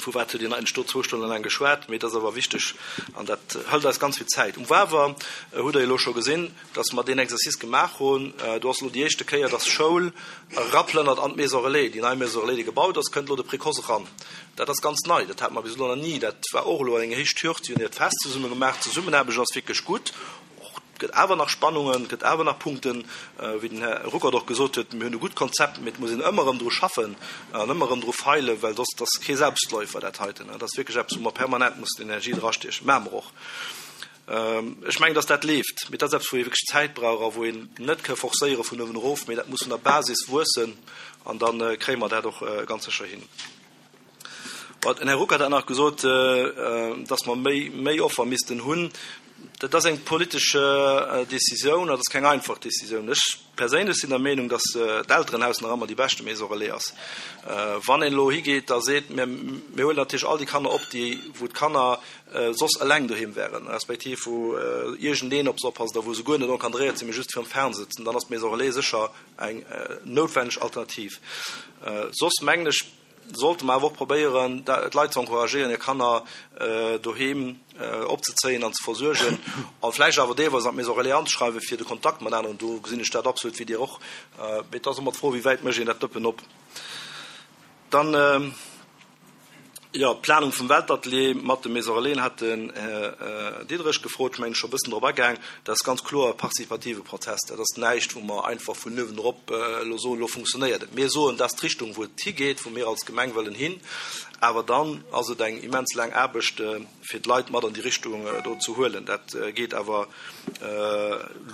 Vu wat huet een eigentlech do zwou Stonnen laang geschwat? Mee et ass awer wichteg an dat hëlt eis ganz vill Zäit. Um Wawer hutt Der jo elo scho gesinn, dass mer deen Exercice gemaach hunn. Do ass elo déi éischte Kéier, dass Schoul eraplënnert an d'Maison relais. Déi nei Maison relais, déi gebaut ass, kënnt elo de Précoce eran. Dat ass ganz nei. Dat hate mer bis elo nach ni. Dat war och elo eng éischt Hürd. Si hunn hiert Fest zesumme gemaach. D'Zesummenaarbecht ass wierklech gutt. Och et gëtt awer nach Spannungen, et gëtt awer nach Punkten, wéi den Här Ruckert och gesot huet, mir hunn e gutt Konzept, mee et muss een ëmmer erëm dru schaffen an ëmmer erëm dru feilen, well soss, dat ass kee Selbstläufer dat heiten. Dat ass wierklech eppes, wou mer permanent mussen Energie drastiechen. Maache mer och. Ech mengen, dass dat leeft, mee dat ass eppes, wou ee wierklech Zäit brauch a wou een net ka forcéiere vun uewen erof, mee dat muss vun der Basis wuessen an da kréie mer dat och ganz sécher hin. Den Här Ruckert hat nach gesot, dass mer méi, méi Offer missten hunn. Dat ass eng politesch Décisioun, dat ass keng einfach Décisioun. Ech perséinlech sinn der Meenung, dass d'Elterenhaus nach ëmmer déi beschte Maison relais ass. Wann een elo higeet a seet, mir, mir huelen natierlech all déi Kanner op, déi, wou d'Kanner soss eleng doheem wären, respektiv wou iergendeen op se oppasst a wou se guer net encadréiert sinn, mee just virum Fernseh sëtzen, dann ass d'Maison relais sécher eng noutwenneg Alternativ. Soss mengen ech, sollte mer awer och probéieren, d'Leit ze encouragéieren, hir Kanner doheem opzezéien an ze versuergen a vläicht awer deelweis an d'Maison relais anzeschreiwen, fir de Kontakt mat aneren. Do gesinn ech dat absolut wéi Dir och. Mee et ass ëmmer d'Fro, wéi wäit mécht een dat Dëppen op. Dann, jo, d'Planung vum Weltatelier mat de Maison relaisen hat den Här Diderich gefrot. Ech mengen, ech scho e bëssen drop agaang. Dat ass ganz kloer e partizipative Prozess. Dat ass näischt, wou mer einfach vun uewen erop elo soen, elo funktionéiert et. Mir soen, dat ass d'Richtung, wou et higeet, wou mir als Gemeng wëllen hin. Awer dann ass et eng immens laang Aarbecht, fir d'Leit mat an déi Richtung do ze huelen. Dat geet awer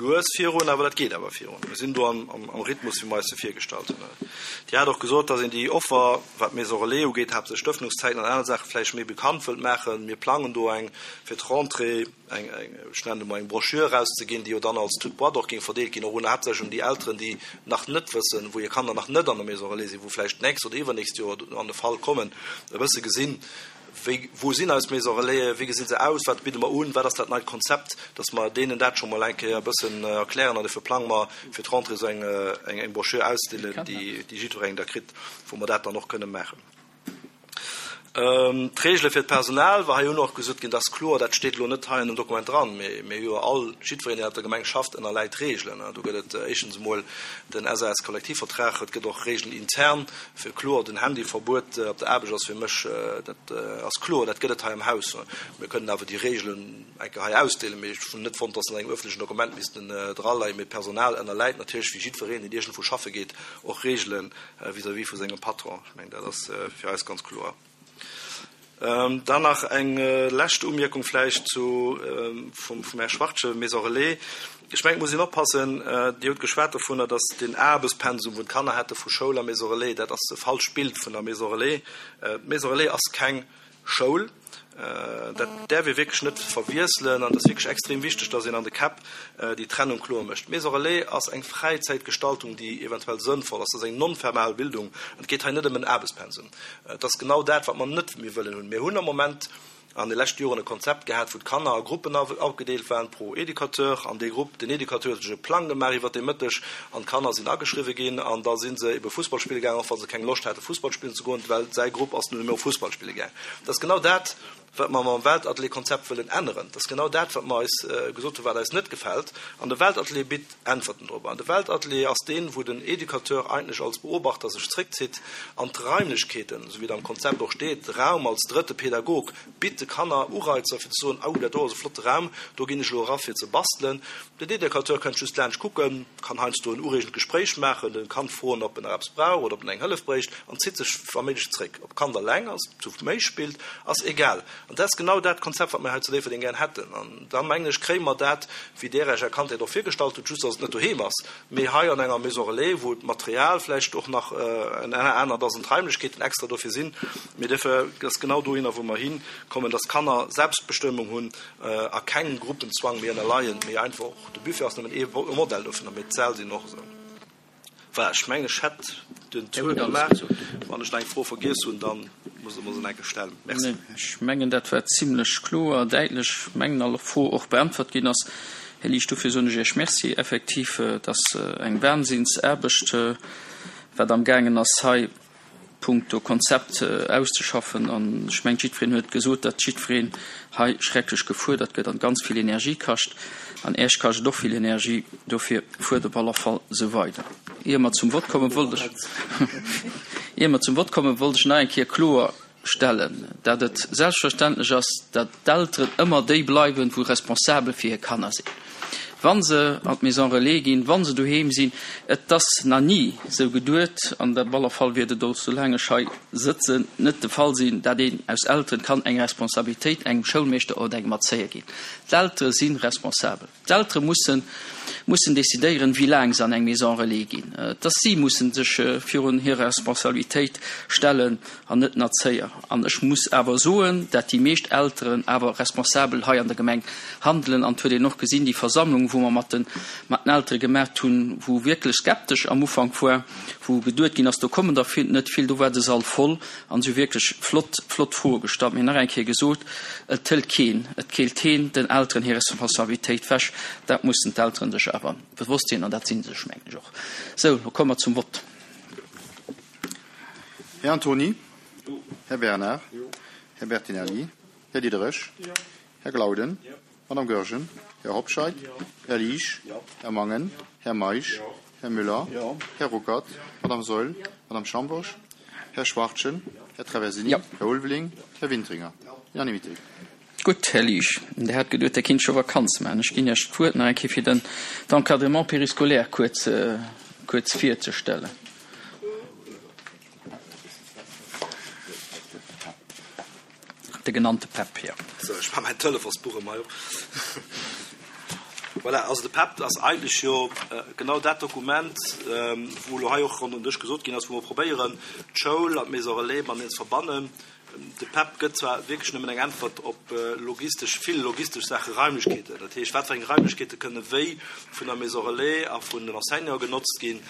lues virun, awer dat geet awer virun. Mir sinn do am Rhythmus, wéi mer eis se virgestallt hunn. Dir hat och gesot, dass een déi Offer, wat d'Maison relais ugeet, haaptsächlech d'Ëffnungszäiten an aner Saachen, vläicht méi bekannt wëllt maachen. Mir plangen do eng fir d'Rentrée. eng, ech nennen et emol eng Broschür erauszeginn, déi jo dann als toute boîte och géing verdeelt ginn, och un, haaptsächlech un déi Elteren, déi nach net wëssen, wou hir Kanner nach net an der Maison relais sinn, wou vläicht d'nächst oder iwwernächst Joer an de Fall kommen, e bësse gesinn, wéi, wou sinn eis Maison relaisen, wéi gesi se aus, wat bidde mer un, wat ass dat neit Konzept, dass mer deenen dat scho mol eng Kéier e bëssen erklären an dofir plange mer fir d'Rentrée esou eng, eng Broschür ausdeelen, déi, déi jiddwerengem da kritt, wou mer dat dann och kënne maachen. D'Regele fir d'Personal, war hei hunn och gesot ginn, dat ass kloer, dat steet elo net hei an dem Dokument dran, mee mir hu jo all, jiddwereen, deen op der Gemeng schafft, ënnerläit Regelen. Do gëtt et éischtens emol den SAS-Kollektivvertrag, et gëtt och Regelen intern, fir kloer den Handyverbuet op der Aarbecht ass fir mech, dat ass kloer, dat gëtt et hei am Haus. Mir kënnen awer déi Regelen eng Kéier hei ausdeelen, mee ech hunn net fonnt, dass se an engem öffentlechen Dokument missten draleien. Mee d'Personal ënnerläit natierlech, wéi jiddwereen, deen iergendwou schaffe geet, och Regelen vis-à-vis vu sengem Patron. Ech mengen, dat ass fir eis ganz kloer. Dann nach eng lescht Umierkung vläicht zu vum Här Schwartje, Maison relais. Ech mengen, et muss een oppassen, Dir hutt geschwat dovunner, datt deen Aarbechtspensum, wou d'Kanner hätte vu Schoul a Maison relais, dat ass e falscht Bild vun der Maison relais. D'Maison relais ass keng Schoul. Dat däerf ee wierklech net verwiesselen an et ass wierklech extrem wichteg, dass een an de Käpp déi Trennung kloer mécht. D'Maison relais ass eng Fräizäitgestaltung, déi eventuell sënnvoll ass. Dat ass eng non-fermal Bildung an et geet hei net ëm en Aarbechtspensum. Et ass genau dat, wat mer net méi wëllen hunn. Mir hunn am Moment. an de leschte Joren e Konzept gehat, wou d'Kanner a Gruppen agedeelt waren pro Educateur. An dee Grupp, den Educateur huet sech e Plang gemaach iwwert dee Mëtteg an d'Kanner sinn ageschriwwe ginn an da si se ebe Fussball spille gaangen, och wa se keng Loscht hate Fussball spillen ze goen, well säi Grupp ass nun emol Fussball spille gaangen. Dat ass genau dat, wat mer mam Weltatelier-Konzept wëllen änneren. Dat ass genau dat, wat mer eis gesot hunn, wat eis net gefält. An de Weltatelier bitt Äntwerten drop. An de Weltatelier ass deen, wou den Educateur eigentlech als Beobachter sech zréckzitt an d'Raimlechkeeten, esou wéi et am Konzept och steet, de Raum als drëtte Pädagog bitt de Kanner Ureizer fir ze soen, Au, dat do ass e flotte Raum, do ginn ech elo era fir ze bastelen. Den Educateur kënnt just laanscht kucken, kann heiansdo en ureegend Gespréich maachen, de Kand froen, ob en nach eppes brauch oder ob en eng Hëllef bréicht an zitt sech wa méiglech zréck. Ob d'Kand alleng ass, zu méi spillt, ass egal. An dat ass genau dat Konzept, wat mir hei zu Déifferdeng gären hätten. An da mengen ech, kréie mer dat, wéi Där Iech Är Kandheet och virgestallt hutt, just datt et net doheem ass, mee hei an enger Maison relais, wou d'Material vläicht och nach en anert ass an d'Raimlechkeeten extra dofir sinn. Mee dofir ass genau dohinner, wou mer hikommen, datt d'Kanner Selbstbestëmmung hunn a kengem Gruppenzwang méi ënnerleien, mee einfach och, de Buffet ass nëmmen ee Modell dovunner, mee d'Säll sinn och esou. Voilà, ech mengen, ech hätt den Tour gemaach. Wann ech nach eng Fro vergiess hunn, da musst Der mer se nach eng Kéier stellen. Merci. Ech mengen, dat war zimlech kloer, däitlech. Ech mengen, all Fro och beäntwert ginn ass. Här Liesch, dofir soen ech Iech Merci. Effektiv, et ass eng Wahnsinnsaarbecht, wat amgaangen ass hei. Punkto Konzept auszeschaffen. An ech mengen, jiddwereen huet gesot, datt jiddwereen hei schrecklech gefuerdert gëtt an ganz vill Energie kascht. An Äech kascht et och vill Energie. Dofir fuert op aller Fall esou weider. Ier mer zum Vott kommen, wollt ech, ier mer zum Vott kommen, wollt ech nach eng Kéier kloer stellen, datt et selbstverständlech ass, datt d'Elteren ëmmer déi bleiwen, wou responsabel fir hir Kanner sinn, wa se an d'Maison relais ginn, wa se doheem sinn. Et ass nach ni esou geduet, an op alle Fall wäert et och, soulaang ech hei sëtzen, net de Fall sinn, datt een aus Elteren kann eng Responsabilitéit engem Schoulmeeschter oder engem Erzéier ginn. D'Eltere si responsabel. D'Eltere mussen mussen decidéieren, wéi laang se an eng Maison relais ginn. Dass si mussen sech virun hir Responsabilitéit stellen an net den Erzéier. An ech muss awer soen, dat déi meescht Elteren awer responsabel hei an der Gemeng handelen. An et huet een och gesinn, déi Versammlung, wou mer mat den mat den Eltere gemaacht hunn, wou wierklech skeptesch am Ufank war, wou geduet ginn ass, do kommen der vill net vill, do war de Sall voll An se hu wierklech flott, flott Froe gestallt. Mir hunn nach eng Kéier gesot, Et hëlt keen, et keelt keen den Elteren hir Responsabilitéit wech. Dat mussen d'Elteren sech awer bewosst sinn, an dat si se sech, mengen ech, och. Sou, lo komme mer zum Vott. Här Antony? Här Bernard? Här Bertinelli? Här Diderich? Här Glauden? Madame Goergen? Här Hobscheit? Här Liesch? Här Mangen? Här Meisch? Här Müller? Här Ruckert? Madame Saeul? Madame Schambourg? Här Schwachtgen? Här Traversini? Här Ulveling? Här Wintringer? Unanimité. Gutt, Här Liesch, Der hat geduet, Der kinnt scho Vakanz maachen. Ech ginn Iech d'Wuert nach eng Kéier, fir den d'Encadrement périscolaire kuerz, kuerz virzestellen. De genannte PEP, jo. Sou, ech maache mäin Telefonsbuch emol hei op. Voilà, also de PEP ass eigentlech jo genau dat Dokument, wou elo hei och ronderëm den Dësch gesot ginn ass, wou mer probéieren, d'Schoul an d'Maison relais mateneen ze verbannen. De PEP gëtt zwar wierklech nëmmen eng Äntwert op logistesch, vill logistesch Saachen, Raimlechkeeten, dat heescht, wat fir eng Raimlechkeete kënne wéi vun der Maison relais a vun den Enseignanten genotzt ginn,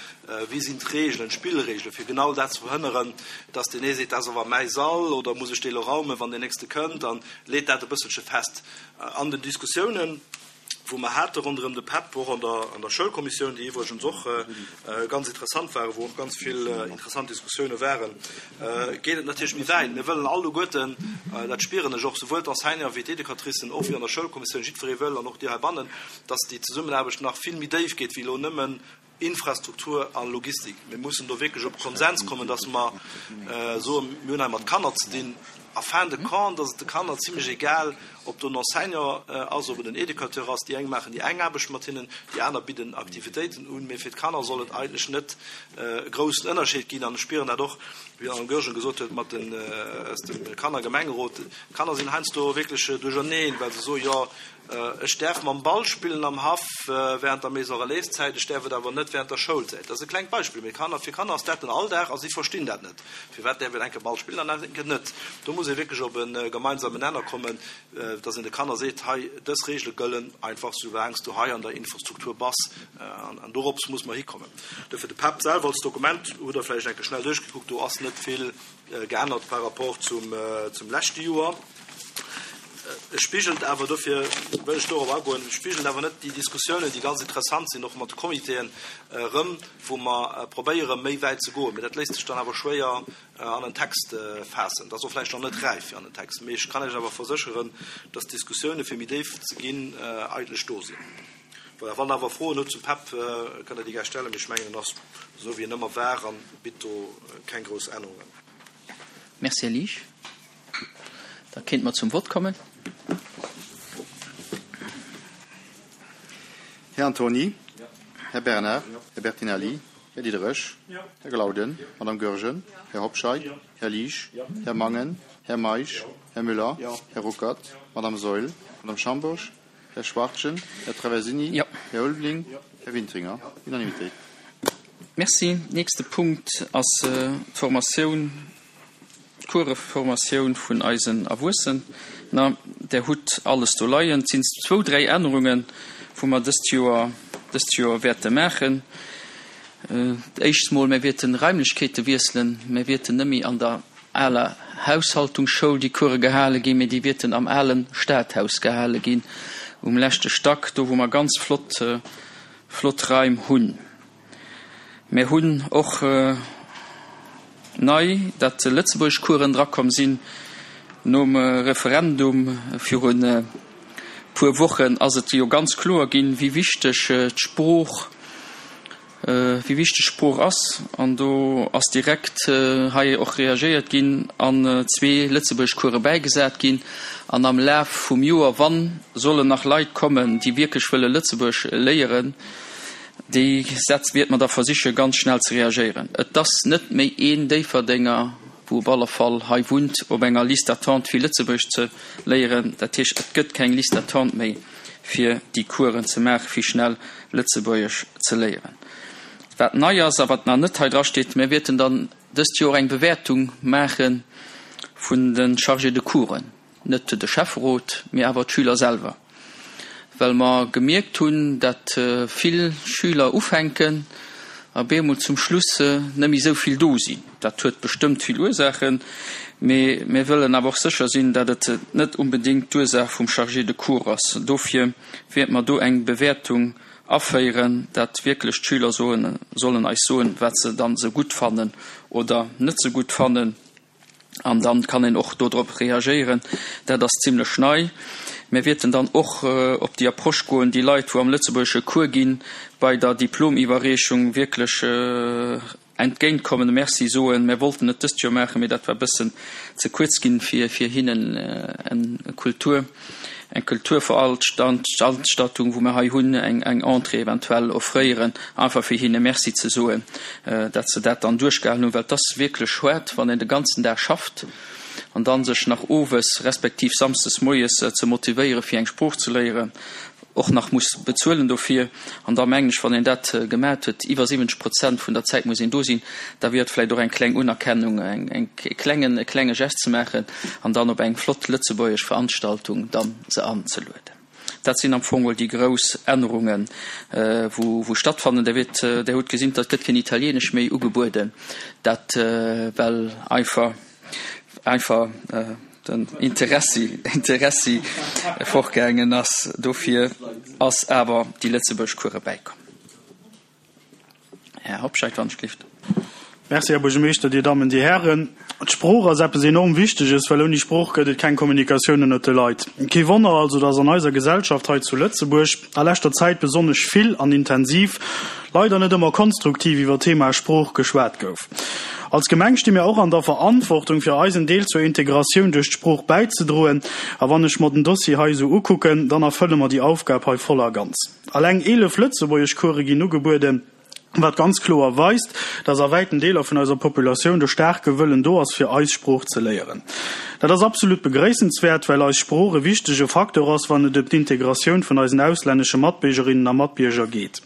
Wéi sinn d'Reegelen, d'Spillreegelen, fir genau dat ze verhënneren, dass deen ee seet, dat ass awer mäi Sall oder muss ech dee lo raumen, wann deen nächste kënnt, an leet dat e bësselche fest. An den Diskussiounen, wou mer hate ronderëm de PEP, och an der an der Schoulkommissioun, déi iwwregens och ganz interessant waren, wou och ganz vill interessant Diskussioune waren, geet et natierlech méi wäit. Mir wëllen alleguerten, dat spieren ech och, souwuel d'Enseignanten wéi d'Educatricen, och wéi an der Schoulkommissioun, jiddweree wëll, an och dir heibannen, dass déi Zesummenaarbecht nach vill méi déif geet wéi elo nëmmen Infrastruktur a Logistik. Mir mussen do wierklech op Konsens kommen, dass mer soen, mir hunn hei mat Kanner ze dinn. A fin de compte ass et de Kanner zimlech egal, ob do en Enseignant ass, ob et en Educateur ass. Déi eng maachen déi eng Aarbecht mat hinnen, déi aner bidden Aktivitéiten un. Mee fir d'Kanner soll et eigentlech net e groussen Ënnerscheed ginn. An ech spieren dat och, wéi d'Madame Goergen gesot huet, mat den, aus dem Kannergemengerot. D'Kanner sinn heiansdo wierklech duercherneen, well se soen, jo, Ech däerf mam Ball spillen am Haff während der Maison Relais Zäit, ech däerf et awer net während der Schoulzäit. Dat ass e klengt Beispill, mee Kanner, fir Kanner ass dat den Alldag a si verstinn dat net. Firwat däerf een enke Ball spillen an enke net? Do muss ee wierklech op e gemeinsamen Nenner kommen, dass een de Kanner seet, hei dës Reegele gëllen einfach soulaang s du hei an der Infrastruktur bass. An dorops muss mer hikommen. Dofir de PEP selwer als Dokument hutt Der vläicht enke schnell duerchgekuckt, do ass net vill geännert par rapport zum leschte Joer. E spigelt awer, dofir wëll ech dorop agoen, e spigelt awer net déi Diskussiounen, déi ganz interessant sinn, och mat de Comitéen erëm, wou mer probéieren, méi wäit ze goen. Mee dat léisst sech dann awer schwéier an en Text faassen. Dat ass och vläicht nach net räif fir an en Text. Mee ech kann Iech awer versécheren, dass d'Diskussioune fir méi déif ze ginn eigentlech do sinn. Voilà, wann Der awer Froen hutt zum PEP, kënnt Der déi gär stellen. Mee ech mengen, en ass esou wéi en ëmmer war a bitt do keng grouss Ännerungen. Merci, Här Liesch. Da kéinte mer zum Vott kommen. Här Antony. Här Bernard. Här Bertinelli. Här Diderich. Här Glauden. Madame Goergen. Här Hobscheit. Här Liesch. Här Mangen. Här Meisch. Här Müller. Här Ruckert. Madame Saeul. Madame Schambourg. Här Schwachtgen. Här Traversini. Här Ulveling. Här Wintringer. Unanimitéit. Merci. Nächste Punkt ass d'Formatioun D'Cours-Formatioun vun eisen Erwuessener, där hutt alles do leien. Et sinn zwou, dräi Ännerungen, wou mer dëst Joer, dëst Joer wäerte maachen. D'éischt mol, mir wäerte Raimlechkeete wiesselen. Mir wäerten net méi an der aler Haushaltungsschoul déi Course gehale ginn, mee déi wäerten am ale Stadhaus gehale ginn, um leschte Stack, do wou mer ganz flott, flott Raim hunn. Mir hunn och nei, dat Lëtzebuergeschcoursen drakomm sinn. Nom Referendum virun e puer Wochen ass et jo ganz kloer ginn, wéi wichteg d'Sprooch, wéi wichteg d'Sprooch ass. An do ass direkt hei och reagéiert ginn an zwee Lëtzebuergeschcourse bäigesat ginn. An am Laf vum Joer, wa sollen nach Leit kommen, déi wierklech wëlle Lëtzebuergesch léieren, Déi Sätz wiert mer da versiche ganz schnell ze reagéieren. Et ass net méi een Déifferdenger, wou op alle Fall hei wunnt, op enger Liste d'attente fir Lëtzebuergesch ze léieren. Dat heescht, et gëtt keng Liste d'attente méi fir déi Coursen ze maachen, fir schnell Lëtzebuergesch ze léieren. Wat nei ass a wat nach net hei drasteet, Mir wäerten dann dëst Joer eng Bewäertung maache vun de Chargés de coursen. Net de Schäfferot, mee awer d'Schüler selwer, well mer gemierkt hunn, dat vill Schüler ufänken a bemol zum Schluss net méi esou vill do sinn. Dat huet bestëmmt vill Ursaachen, mee mir wëllen awer och sécher sinn, dat et net unbedéngt d'Ursaach vum Chargé de cours ass. Dofir wäerte mer do eng Bewäertung aféieren, dat wierklech d'Schüler soen, sollen eis soen, wat se dann esou gutt fannen oder net esou gutt fannen. An dann kann een och dodrop reagéieren. Dat ass zimlech nei. Mir wierten dann och op déi Approche goen, déi Leit, wou am lëtzebuergesche Cours ginn, bei der Diplomiwwerreechung wierklech entgéintkommen, e Merci soen. Mir wollten et dëst Joer maachen, mee dat war e bëssen ze kuerz ginn, fir hinnen en Kultur, eng Kulturveranstaltung, wou mir hei hunn, eng Entrée eventuell offréieren, einfach fir hinne Merci ze soen, dat se dat dann duerchgehalen hunn, well et ass wierklech schued, wann een de ganzen Dag schafft an dann sech nach owes respektiv samsdes moies ze motivéiere fir eng Sprooch ze léieren, och nach muss bezuelen dofir. An da mengen ech, wann een dat gemat huet, iwwer 70 Prozent vun der Zäit muss een do sinn, da wier et vläicht och eng kleng Unerkennung, eng e klengen, e klenge Gest ze maachen an dann op eng flott lëtzebuergesch Veranstaltung dann se anzelueden. Dat sinn am Fong mol déi grouss Ännerungen, wou, wou stattfannen. Der wiert, Der hutt gesinn, et gëtt keen Italienesch méi ugebueden, dat well einfach, einfach, den Interessi Interessi fortgaangen ass. Dofir ass awer déi lëtzebuergesch Cours bäikomm. Här Hobscheit, wann ech gelift. Merci, Här Buergermeeschter, Dir Dammen, Dir Hären. D'Sprooch ass eppes enorm Wichteges, well ouni Sprooch gëtt et keng Kommunikatioun ënnert de Leit. Kee Wonner also, dass an eiser Gesellschaft hei zu Lëtzebuerg a leschter Zäit besonnesch vill an intensiv, leider net ëmmer konstruktiv, iwwer d'Thema Sprooch geschwat gouf. Als Gemeng sti mir och an der Verantwortung, fir eisen Deel zur Integratioun duerch d'Sprooch bäizedroen. A wann ech mer den Dossier hei esou ukucken, dann erfëlle mer déi Aufgab hei voll a ganz. Alleng 11 Lëtzebuergeschcourse ginn ugebueden, wat ganz kloer weist, dass a wäiten Deeler vun eiser Populatioun de staarke Wëllen do ass, fir eis Sprooch ze léieren. Dat ass absolut begréissenswäert, well eis Sprooch e wichtege Facteur ass, wann et ëm d'Integratioun vun eisen auslännesche Matbiergerinnen a Matbierger geet.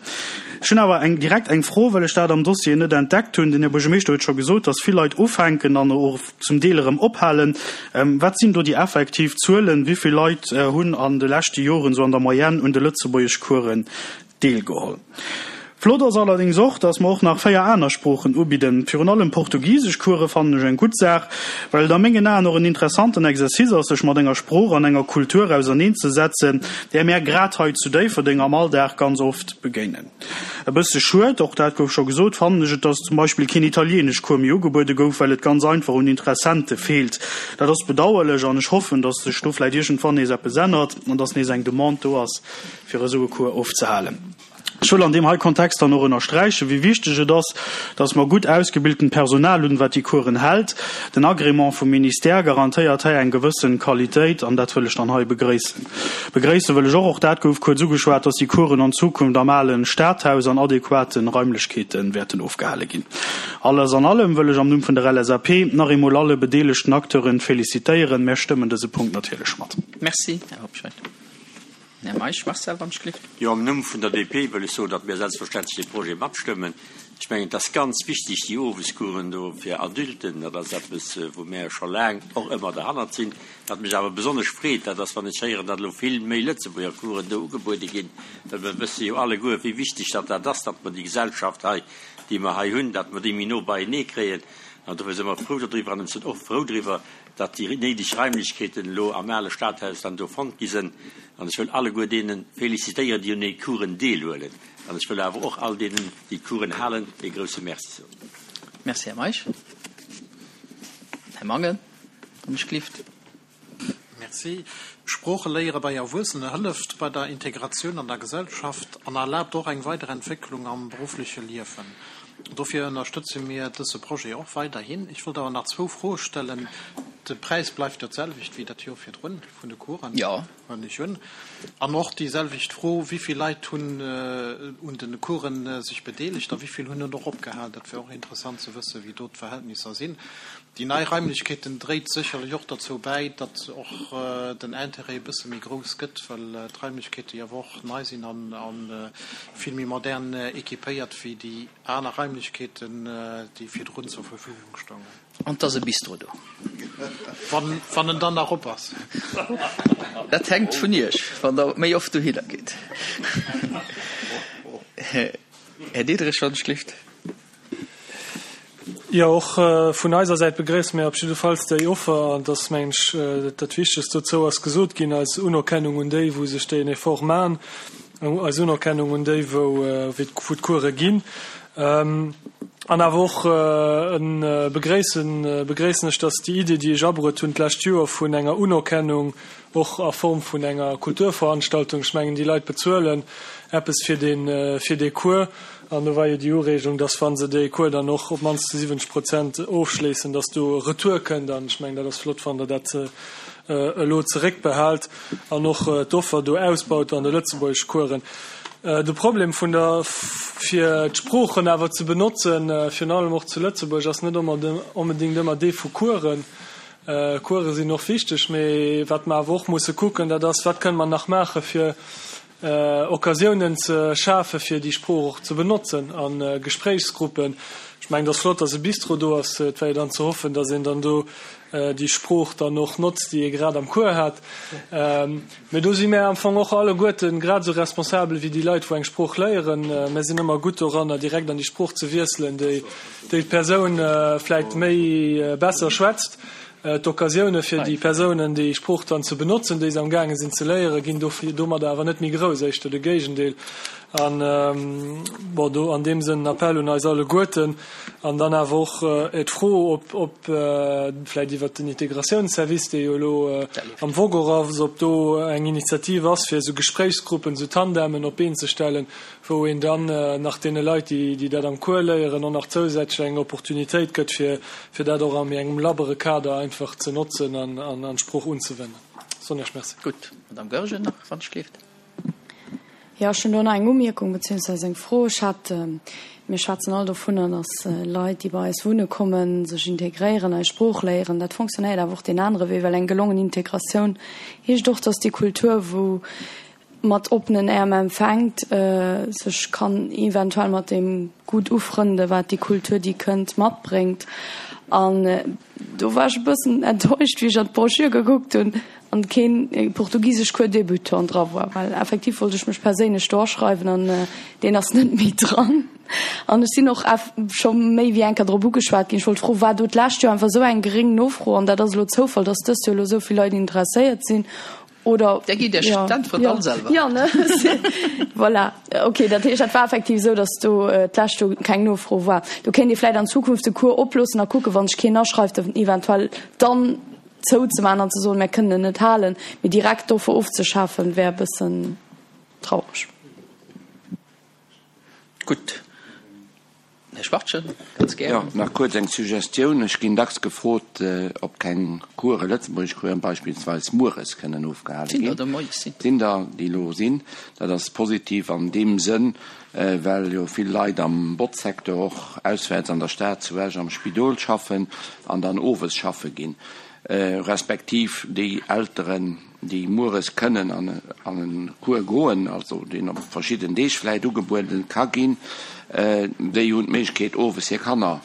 Ech hunn awer eng direkt eng Fro, well ech dat am Dossier net entdeckt hunn. Den Här Buergermeeschter huet scho gesot, dass vill Leit ufänken an och zum Deel erëm ophalen. Wat sinn do déi effektiv Zuelen? Wéi vill Leit hunn an de leschte Joren esou an der Moyenne un de Lëtzebuergeschcoursen deelgeholl? Flott ass allerdéngs och, dass mer och nach 4 aner Sproochen ubidden. Virun allem Portugiseschcourse fannen ech eng gutt Saach, well et a mengen Aen och en interessanten Exercice ass, sech mat enger Sprooch an enger Kultur auserneen ze setzen, där mär grad hei zu Déifferdeng am Alldag ganz oft begéinen. E bësse schued, och dat gouf scho gesot, fannen ech et, dass zum Beispill keen Italieeneschcours méi ugebuede gouf, well et ganz einfach un Interessente feelt. Dat ass bedauerlech an ech hoffen, dass sech do vläicht iergendwann nees eppes ännert an dass nees eng Demande do ass, fir esou e Cours ofzehalen. Ech wëll an deem hei Kontext dann och ënnersträichen, wéi wichteg et ass, dass mer gutt ausgebiltent Personal hunn, wat déi Coursen hält. Den Agrément vum Ministère garantéiert hei eng gewëssen Qualitéit, an dat wëll ech dann hei begréissen. Begréisse wëll ech och, och dat gouf kuerz ugeschwat, dass déi Coursen an Zukunft am alen Stadhaus an adequaten Raimlechkeete wäerten ofgehale ginn. Alles an allem wëll ech am Numm vun der LSAP nach eemol alle bedeelegten Acteuren félicitéieren. Mär stëmmen dëse Punkt natierlech mat. Merci, Här Hobscheit. Här Meisch Marcel, wann ech gelift. Jo, am Numm vun der DP wëll ech soen, datt mir selbstverständlech dee Projet matstëmmen. Ech mengen, et ass ganz wichtig, déi Owescoursen do fir Adulten, dat ass eppes, wou mär scho laang och ëmmer derhannert sinn. Wat mech awer besonnesch freet, dat ass, wann ech héieren, datt elo vill méi Lëtzebuerger Coursen do ugebuede ginn, well mer wësse jo alleguer, wéi wichteg datt dat ass, datt mer déi Gesellschaft hei, déi mer hei hunn, datt mer déi méi no beienee kréien. An dofir si mer frou dodriwwer an ech sinn och frou driwwer, datt déi néideg Raimlechkeeten elo am ale Stadhaus dann do fonnt gi sënn. An ech wëll alleguer deene félicitéieren, déi un de Coursen deelhuelen. An ech wëll awer och all deenen, déi d'Coursen halen, ee grouse Merci soen. Merci, Här Meisch. Här Mangen, wann ech glift. Merci. Sprooche léiere bei Erwuessene hëlleft bei der Integratioun an der Gesellschaft an erlaabt och eng weider Entwécklung am beruffleche Liewen. Dofir ënnerstëtze mir dësse Projet och weiderhin. Ech wollt awer nach zwou Froe stellen. De Präis bleift jo d'selwecht wéi dat Joer virdrun vun de Coursen, huelen ech un. An och déi selwecht Fro, Wéi vill Leit hunn un de Coursen sech bedeelegt a wéi vill hunn et och opgehal? Dat wär och interessant ze wëssen, wéi do d'Verhältnisser sinn. Déi nei Raimlechkeeten dréit sécherlech och derzou bäi, datt och den Intérêt e bësse méi grouss gëtt, well d'Raimlechkeete jo awer och nei sinn a vill méi modern équipéiert wéi déi aner Raimlechkeeten, déi virdrun zur Verfügung stoungen. An 't ass e Bistro do. Wann en dann nach op ass. Dat hänkt vun Iech, wann Der méi oft dohinner gitt. Här Diderich, wann ech gelift. Jo, och vun eiser Säit begréisse mir op jiddefalls déi Offer. An et ass, mengen ech, dat Wichtegst dozou ass gesot ginn, eis Unerkennung un déi, wou sech deen Effort maachen, eis Unerkennung un déi, wou wou d'Course ginn. An awer och e begréissen begréissen ech, dass déi Idee, déi ech abruet hunn d'lescht Joer vun enger Unerkennung och a Form vun enger Kulturveranstaltung, ech mengen, déi Leit bezuelen eppes fir dee fir dee Cours, An do war jo déi Ureegung, dass, wa se dee Cours dann och op d'mannst zu 70 Prozent ofschléissen, dass do e Retour kënnt. An ech mengen, dat ass flott, wann Der dat elo zeréckbehaalt an och d'Offer do ausbaut an de Lëtzebuergeschcoursen. De Problem vun der, fir d'Sproochen awer ze benotzen, virun allem och zu Lëtzebuerg, ass net onbedéngt ëmmer dee vu Coursen. Course sinn och wichteg, mee wat mer awer och musse kucken, dat ass, Wat kënne mer nach maache fir Occasiounen ze schafe fir déi Sprooch och ze benotzen a Gespréichsgruppen. Ech mengen, et ass flott, datt e Bistro do ass. Et war jo dann ze hoffen, datt een dann do déi Sprooch dann och notzt, déi ee grad am Cours hat. Mee do si mär am Fong och alleguerte grad esou responsabel wéi déi Leit, wou eng Sprooch léieren. Mär sinn ëmmer gutt doranner, direkt an déi Sprooch ze wiesselen, déi d'Persoun vläicht méi besser schwätzt. D'Occasioune fir déi Persounen, déi Sprooch dann ze benotzen, déi se am gaange sinn ze léieren, ginn domadder awer net méi grouss, éischter de Géigendeel. An, bon, do an deem Sënn en Appell un eis alleguerten an dann awer och d'Fro, ob, ob vläicht iwwert den Integratiounsservice, dee jo elo am Vogue och ass, ob do eng Initiativ ass, fir esou Gespréichsgruppen, esou Tandemen op d'Been ze stellen, wou een dann nach deene Leit, déi dat am Cours léieren, och nach zousätzlech eng Opportunitéit gëtt, fir, fir dat och a méi engem labbere Kader einfach ze notzen an an d'Sprooch unzewennen. Soen Iech Merci. Gutt. Madamm Goergen nach, wann ech gleeft. Jo, ech hunn do nach eng Umierkung beziehungsweise eng Fro. Ech hat, mir schwätzen all dovunner, dass Leit, déi bei eis wunne kommen, sech integréieren, eis Sprooch léieren. Dat fonctionnéiert awer och deen anere Wee, well eng gelongen Integratioun heescht och, dass déi Kultur, wou. mat oppenen Äerm empfänkt, sech kann eventuell mat deem gutt ufrënde wat déi Kultur, déi kënnt, matbréngt. An do war ech e bëssen enttäuscht, wéi ech an d'Brochure gekuckt hunn an keen Portugiseschcours débutant dra war, well effektiv wollt ech mech perséinlech do aschreiwen an deen ass net méi dran. An ech sinn och scho méi wéi eng Kéier drop ugeschwat ginn. Ech wollt froen, war do d'lescht Joer einfach esou eng geréng Nofro an dat ass elo Zoufall, datt dëst Joer elo esou vill Leit interesséiert sinn? Oder Der gitt Iech d'Äntwert all selwer. Jo, ne? Voilà. Okay, dat heescht, dat war effektiv esou, datt do d'lescht Joer keng Nofro war. Do kéint ee vläicht an Zukunft de Cours oploossen a kucken, wa sech keen aschreift, en eventuell dann zouzemaachen an ze soen, mär kënnen en net halen. Mee direkt d'Offer ofzeschafen, wär e bëssen traureg. Gutt, Här Schwachtgen, ganz gären. Jo, nach kuerz eng Suggestioun. Ech ginn dacks gefrot, ob keng Coursen, Lëtzebuergeschcoursen beispillsweis, mueres kënnen ofgehale ginn. Sinn der der moies sinn. Sinn der, déi elo sinn. Dat ass positiv an deem Sënn, well jo vill Leit am Botzsecteur och auswäerts an der Stad, zu Esch am Spidol schaffen an dann owes schaffe ginn, respektiv déi Elteren, déi mueres kënnen an e Cours goen, also deen op verschidden Deeg vläicht ugebueden ka ginn, déi hunn d'Méiglechkeet owes hir Kanner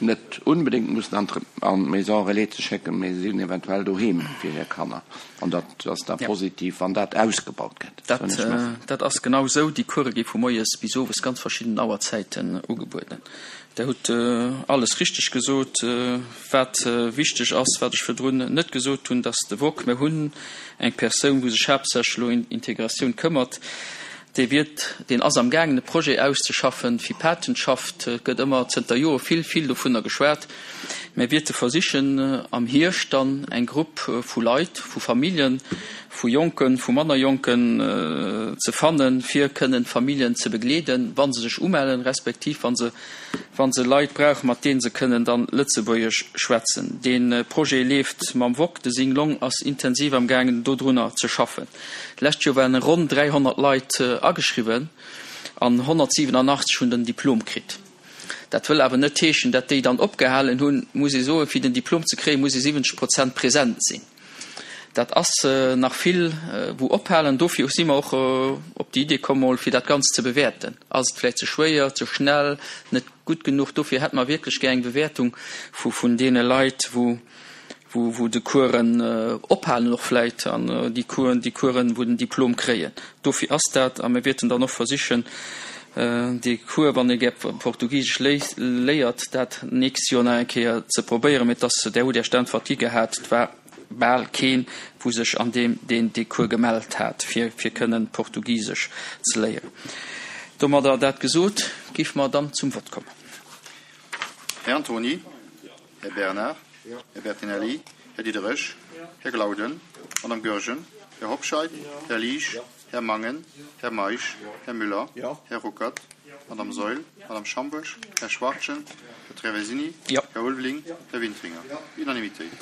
net unbedéngt mussen an d'Maison relais ze schécken, mee se sinn eventuell doheem fir hir Kanner. An dat ass da positiv, wann dat ausgebaut gëtt. Dat ass genau esou. Déi Course gi vu moies bis owes ganz verschidden Auerzäiten ugebueden. Der hutt alles richteg gesot. Wat wichteg ass, wat ech virdrun net gesot hunn, dass de Wok, mir hunn eng Persoun, wou sech haaptsächlech elo ëm Integratioun këmmert, dee wiert, deen ass amgaangen e Projet auszeschaffen fir Patenschaft. Et gëtt ëmmer zënter Jore vill, vill dovunner geschwat. Mir wierte versichen am Hierscht dann eng Grupp vu Leit, vu Familljen, vu Jonken, vu manner Jonken ze fannen, fir kënnen d'Familljen ze begleeden, wa se sech umellen, respektiv wa se, wa se Leit brauchen, mat deene se kënnen dann Lëtzebuergesch schwätzen. Dee Projet leeft mam Wok. De Sing Long ass intensiv am gaangen dodrunner ze schaffen. D'lescht Joer waren ronn 300 Leit ageschriwwen an 187 hunn den Diplom kritt. Dat wëll awer net heeschen, dat déi dann opgehalen hunn. Muss ee soen, fir den Diplom ze kréien, muss ee 70 Prozent present sinn. Dat ass nach vill wou ophalen. Dofir si mer och op déi Idee komm mol fir dat Ganzt ze bewäerten. Ass et vläicht ze schwéier, ze schnell, net gutt genuch? Dofir hätte mer wierklech gär eng Bewäertung vun deene Leit, wou wou de Coursen ophalen och vläit an déi Coursen, déi Coursen, wou den Diplom kréien. Dofir ass dat, a mir wäerten dann och versichen, dee Cours, wann ee gär Portugisesch léiert, dat nächst Joer nach eng Kéier ze probéieren. Mee et ass, Där hutt Iech d'Äntwert gi gehat, et war bal keen, wou sech an deem, deen dee Cours gemellt hat, fir, fir kënnen Portugisesch ze léieren. Domadder dat gesot, géife mer dann zum Vott kommen. Här Antony. Här Bernard, Här Bertinelli, Här Diderich, Här Glauden, Madame Goergen, Här Hobscheit, Här Liesch, Här Mangen, Här Meisch, Här Müller, Här Ruckert, Madame Saeul, Madame Schambourg, Här Schwachtgen, Här Traversini, Här Ulveling, Här Wintringer. Unanimitéit.